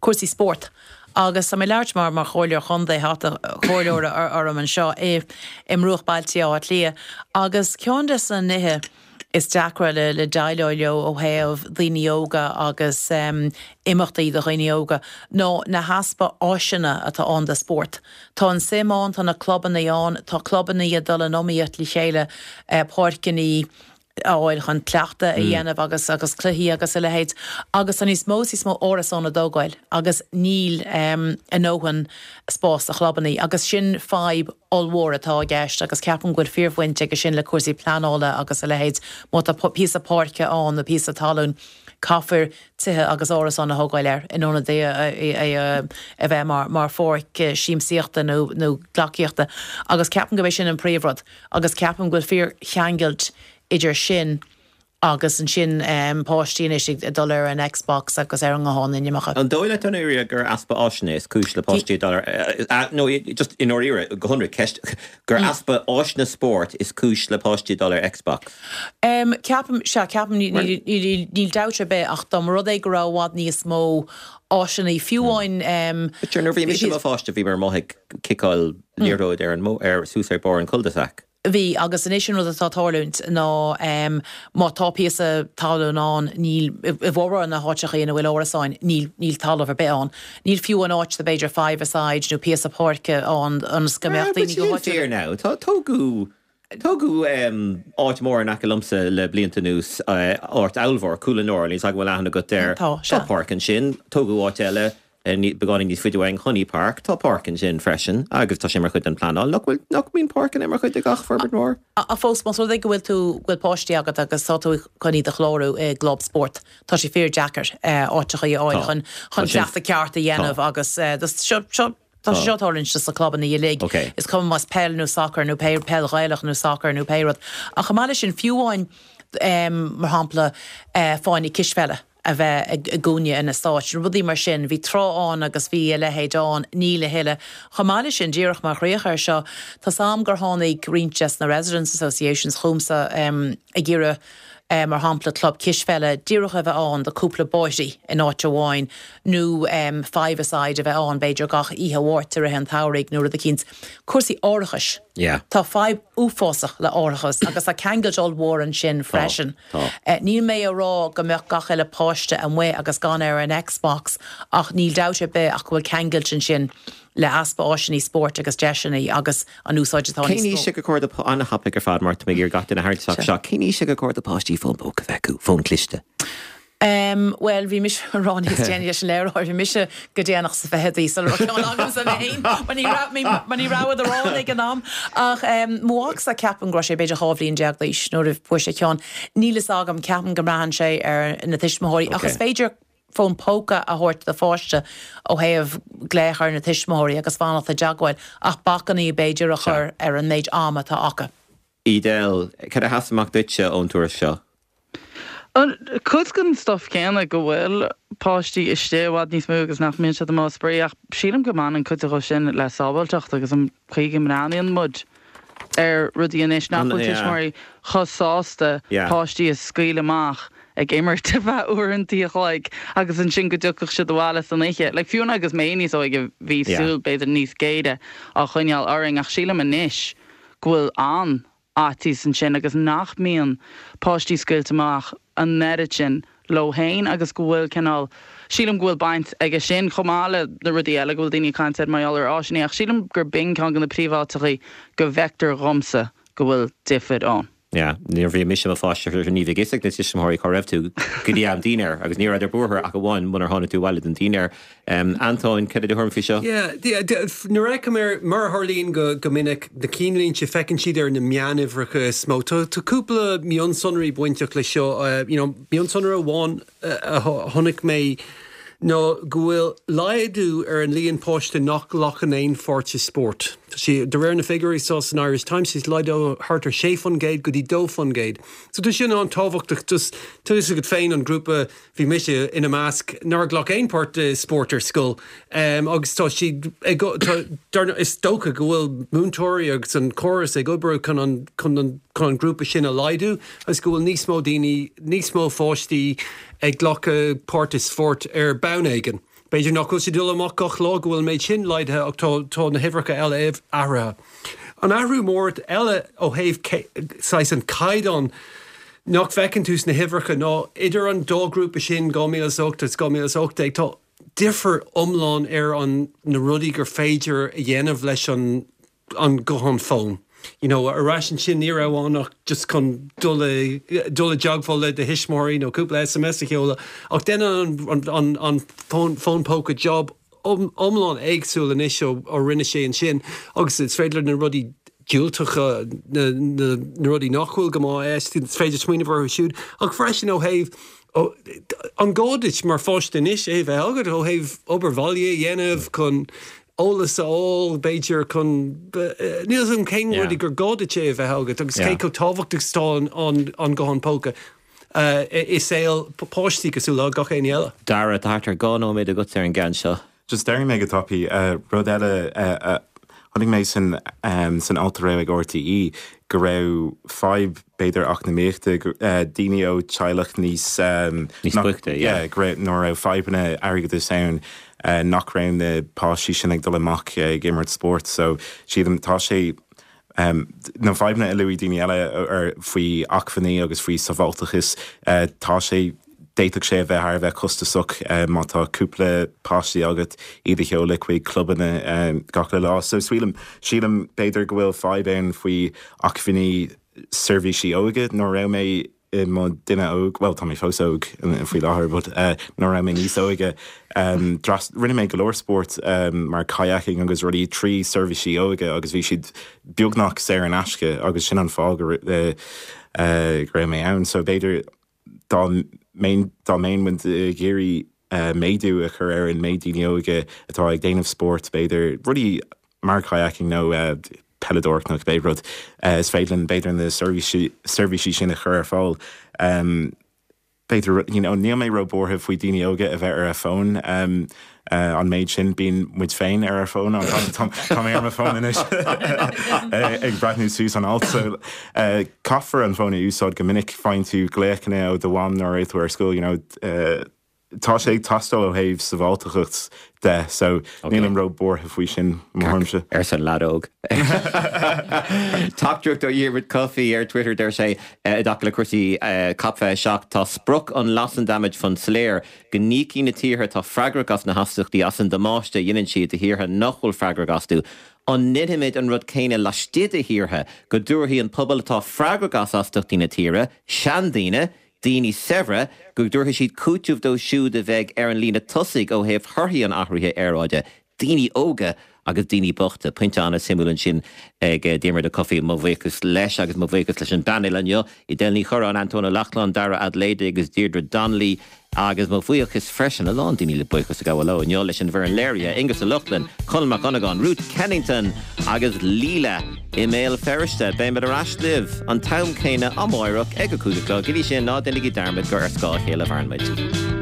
cúrsaí spóirt. Agus tá mé ag labhairt mar mar chomhairleoir chontae, hata comhairleora orm anseo i mbruachbhailte Átha Cliath. Agus ceann des na nithe. is deacra le le déileáil leo ó thaobh daoine óga agus imeachtaí do dhaoine óga ná na heaspa áiseanna atá ann do spórt. Tá an suim ann, tá na clubanna ann, tá clubanna ag dul in iomaíocht le chéile, páirceanna a fháil chun cleachtadh a dhéanamh agus agus cluichí agus a leithéid agus tá níos mó is níos mó árasán á dtógáil agus níl a ndóthain spás do chlubanna agus sin fadhb ollmhór atá i gceist agus ceapaim go bhfuil fíorbhaint aige sin le cúrsaí pleanála agus a leithéid. Má tá píosa páirce ann nó píosa talún, caithfear tithe agus árasáin a thógáil air in ionad é a bheith mar pháirc siamsaíochta nó nó gleacaíochta agus ceapaim gurb é sin an príomhrud agus ceapaim go bhfuil fíorcheangailt idir sin agus ansin páistí anois ag dul ar an Xbox agus ar an nguthán inimeacha. An dóigh leat i ndáiríre gur easpa áiseanna is cúis le páistí ag dul ar, nó just i ndáiríre, go hionraic, ceist, gur easpa áiseanna spóirt is cúis le páistí ag dul ar Xbox? Ceapaim, sea, ceapaim, níl dabht ar bith ach dá mba rud é go raibh i bhfad níos mó áiseanna, fiú amháin. But sure, nuair a bhí mise i mo pháiste bhíomar amuigh ag ciceáil liathróid ar an, ar, suas ar barr an cul-de-sac. Bhí, agus anois an rud atá ag tarlúint ná má tá píosa talún ann, níl, i bhformhór na háiteacha ina bhfuil árasáin, níl, níl talamh ar bith ann. Níl fiú an áit do b'fhéidir five-a-side nó píosa páirce ann ionas go mbeadh daoine go háitiúil. Fíor now, tá, tógadh, tógadh áit mhór in aice liomsa le blianta anuas, áit ollmhór, Cúil na Nora, níl 's agam an bhfuil aithne agat air. Tá, sea. Tá páirc ansin, tógadh áit eile, Beagáinín níos faide uainn, Honey Park, tá páirc ansin freisin agus tá sé mar chuid den phleanáil. Nach bhfuil, nach mbíonn páirceanna mar chuid de gach forbairt mhór? Ach fós, más rud é go bhfuil tú, go bhfuil páistí agat agus tá tú chun iad a chlárú i gclub spóirt, tá sé fíor-deacair áiteachaí a fháil chun, chun cleachtadh ceart a dhéanamh agus seo, seo, tá sé seo ag tarlúint sna clubanna uilig. Is cuma más peil nó sacar nó pé, peil Ghaelach nó sacar nó pé rud. Ach chomh maith leis sin, fiú amháin, mar shampla, fáinne cispheile. a bheith i gcúinne an eastáit, rudaí mar sin. Bhí tráth ann agus bhí a leithéid ann, níl a thuilleadh. Chomh maith leis sin, díreach mar chríoch air seo, tá's a'm gur tháinig roinnt des na Residents Associations chugamsa ag iarraidh, mar shampla, club cispheile díreach a bheith ann do cúpla bóithrí in áit amháin nó five-a-side a bheith ann b'fhéidir gach oíche Mháirt i rith an tsamhraidh nó rud eicínt. Cúrsaí árachais. Tá fadhb uafásach le árachas agus tá ceangailt ollmhór ansin freisin. Tá. Níl mé a rá go mbeadh gach uile páiste amuigh agus gan ar an Xbox ach níl dabht ar bith ach go bhfuil ceangailt ansin le easpa áiseanna spóirt agus deiseanna agus an úsáid atá níos Cén aois gur chóir do, an-thapaidh ar fad mar tá mé ag iarraidh gach duine a tharraingt isteach seo, cén aois gur chóir do páistí fón póca a bheith acu, fón cliste? Em, bhuel, bhí mise a rá níos déanaí leis an léiritheoir, bhí mise go déanach sa fichidí sula raibh ceann agamsa mé féin, mar ní raibh, mar ní rabhadar ann ag an am. Ach, em, mo mhacsa, ceapaim go raibh sé b'fhéidir 12 bhliain d'aois nuair a fuair sé ceann. Níl fhios agam, ceapaim go mbraitheann sé ar na tuismitheoirí, ach is féidir fón póca a thabhairt do pháiste ó thaobh glaoch ar na tuismitheoirí agus fanacht i dteagmháil, ach bacainní b'fhéidir a chur ar an méid ama atá acu. Edel, cad a sheas amach duitse ón tuairisc seo? Cuid den stuif céanna go bhfuil páistí istigh i bhfad níos mó agus nach mbíonn siad amuigh ag spraoi ach sílim go mbaineann cuid de sin le sábháilteacht agus an chaoi go mbreathnaíonn muid ar rudaí anois nach bhfuil tuismitheoirí chomh sásta páistí a scaoileadh amach ag imirt ar feadh uaireanta a chloig agus ansin go dtiocfadh siad abhaile san oíche. Like fiú agus mé níos óige bhí súil b'fhéidir níos géire á choinneáil orainn ach sílim anois go bhfuil an fhaitíos ansin agus nach mbíonn páistí scaoilte amach an oiread sin leo féin agus go bhfuil cineál, sílim go bhfuil baint aige sin chomh maith le na rudaí eile go bhfuil daoine ag caint air mar gheall ar áiseanna ach sílim gur b'in ceann de na príomháiteachaí go bhfeictear dhomsa go bhfuil difir ann. Yeah, nuair a bhí mise i mo pháiste ní bheadh fhios ag na tuismitheoirí cá raibh tú go dtí am dinnéir agus ní rabhadar buartha ach amháin munar tháinig tú abhaile don dinnéar. Antóin, cad é do thuairim faoi seo? Yeah, nuair a fheicim ar, mar a tharlaíonn go minic, na cinnlínte, feiceann siad ar na meánuimhreacha is mó. Tá cúpla mionsonraí bainteach leis seo. You know, mionsonra amháin a chonaic mé ná go bhfuil laghdú ar an líon páiste nach nglacann aon pháirt i spórt. Tá sé, de réir na figiúirí seo san Irish Times, tá sé laghdaithe thart ar 6% go dtí 2%. So tá sin an-tábhachtach, just, tá fhios agat féin an grúpa Bhí mise ina measc nár ghlac aon páirt i spórt ar scoil agus tá siad ag, tá, is dócha go bhfuil múinteoirí agus an córas ag oibriú chun an, chun an, chun an grúpa sin a laghdú agus go bhfuil níos mó daoine, níos mó pháistí ag glacadh páirt i spórt ar bhonn éigin. B'fhéidir nach bhfuil siad ag dul amach gach lá, go bhfuil an méid sin laghdaithe ach tá, tá na huimhreacha eile athraithe. An athrú mór eile ó thaobh saghas an caighdeán. nach bhfeiceann tú sna huimhreacha ná idir an dá ghrúpa sin, 2008 agus 2018, tá difear iomlán ar an na rudaí gur féidir a dhéanamh leis an an guthán fón. You know, ar ais ansin ní raibh ann ach just chun dul i dul i dteagmháil le do thuismitheoirí nó cúpla SMS a sheoladh ach déanann an an an fón fón póca job iomlán éagsúil anois ó ó rinne sé ansin agus is féidir na rudaí diúltacha, na na na rudaí nach bhfuil go maith, is féidir smaoineamh orthu siúd ach freisin ó thaobh an gá duit mar pháiste anois é a bheith agat ó thaobh obair bhaile a dhéanamh chun eolas a fháil, b'fhéidir, chun, níl 'fhios agam cén rudaí gur gá duit é a bheith agat agus cé chomh tábhachtach is atá an guthán póca i saol páistí cosúil le gach éinne eile. Dara, tá thart ar 2 nóiméad agat ar an gceann seo. Just déarfaidh mé go tapaidh, rud eile a chonaic mé san san alt a raibh ag RTÉ go raibh fadhb b'fhéidir eacnamaíochta, daoine ó teaghlach níos Níos boichte, yeah. Yeah, go raibh, nuair a raibh fadhbanna airgeadais ann nach raibh na páistí sin ag dul amach ag imirt spóirt so sílim tá sé na fadhbanna a luaigh daoine eile ar faoi acmhainní agus faoi sábháilteachas tá sé d'fhéadfadh sé a bheith thar a bheith costasach má tá cúpla páistí agat iad a sheoladh chuig clubanna gach uile lá. So sílim sílim b'fhéidir go bhfuil fadhb ann faoi acmhainní seirbhísí óige nuair a raibh mé i mo duine óg, bhuel tá mé fós óg faoi láthair but nuair a raibh mé níos óige rinne mé go leor spóirt mar kayaking agus rudaí trí seirbhísí óige agus bhí siad beagnach saor in aisce agus sin an fáth go raibh mé ann. So b'fhéidir dá mbeinn dá mbeinn muid ag iarraidh méadú a chur ar an méid daoine óga atá ag déanamh spóirt, b'fhéidir rudaí mar kayaking nó peileadóireacht nó cibé rud, is féidir linn b'fhéidir na seirbhísí sin a chur ar fáil. B'fhéidir, you know, níl mé ró-bhuartha faoi daoine óga a bheith ar a bhfóin an méid sin, bíonn muid féin ar ár bhfóin, tá mé ar mo fón anois ag breathnú suas an alt so caithfear an fón a úsáid go minic, faigheann tú glaochanna ó do mham nuair atá tú ar scoil, you know, Tá sé ag teastáil ó thaobh sábháilteachta de so nílim ró buartha faoi sin, mo thuairimse. Arsa an leaid óg. Teachtaireacht ó Dhiarmuid Coffey ar Twitter, deir sé, i dtaca le cúrsaí Cop 27, tá sprioc an Loss and Damage Fund soiléir, go n-íocfaidh na tíortha atá freagrach as na hastachtaí as an damáiste a dheineann siad do thíortha nach bhfuil freagrach astu. An ndéanfaimid an rud céanna laistigh de thíortha, go dtabharfaidh an pobal atá freagrach as astachtaí na tíre, seandaoine, daoine saibhre, go dtabharfaidh siad cúiteamh dóibh siúd a bheidh ar an líne tosaigh ó thaobh thorthaí an athraithe aeráide, daoine óga agus daoine bochta. Pointe an-suimiúil ansin ag Diarmuid Ó Cofaigh. Mo bhuíochas leis agus mo bhuíochas leis an bpainéal inniu, Edel Ní Chorráin, Antóin Ó Lochlainn, Dara Adelaide agus Deirdre Donnelly. Agus mo bhuíochas freisin, a lán daoine le buíochas a ghabháil leo inniu, leis an bhfoireann léirithe, Aengus Ó Lochlainn, Conall Mac Dhonnagáin, Ruth Kennington agus Leela i mBéal Feirste. Beimid ar ais libh an t-am céanna amáireach ag a 5 a chlog. Go dtí sin, ná déanaigí dearmad gur ar scáth a chéile a mhaireann muid.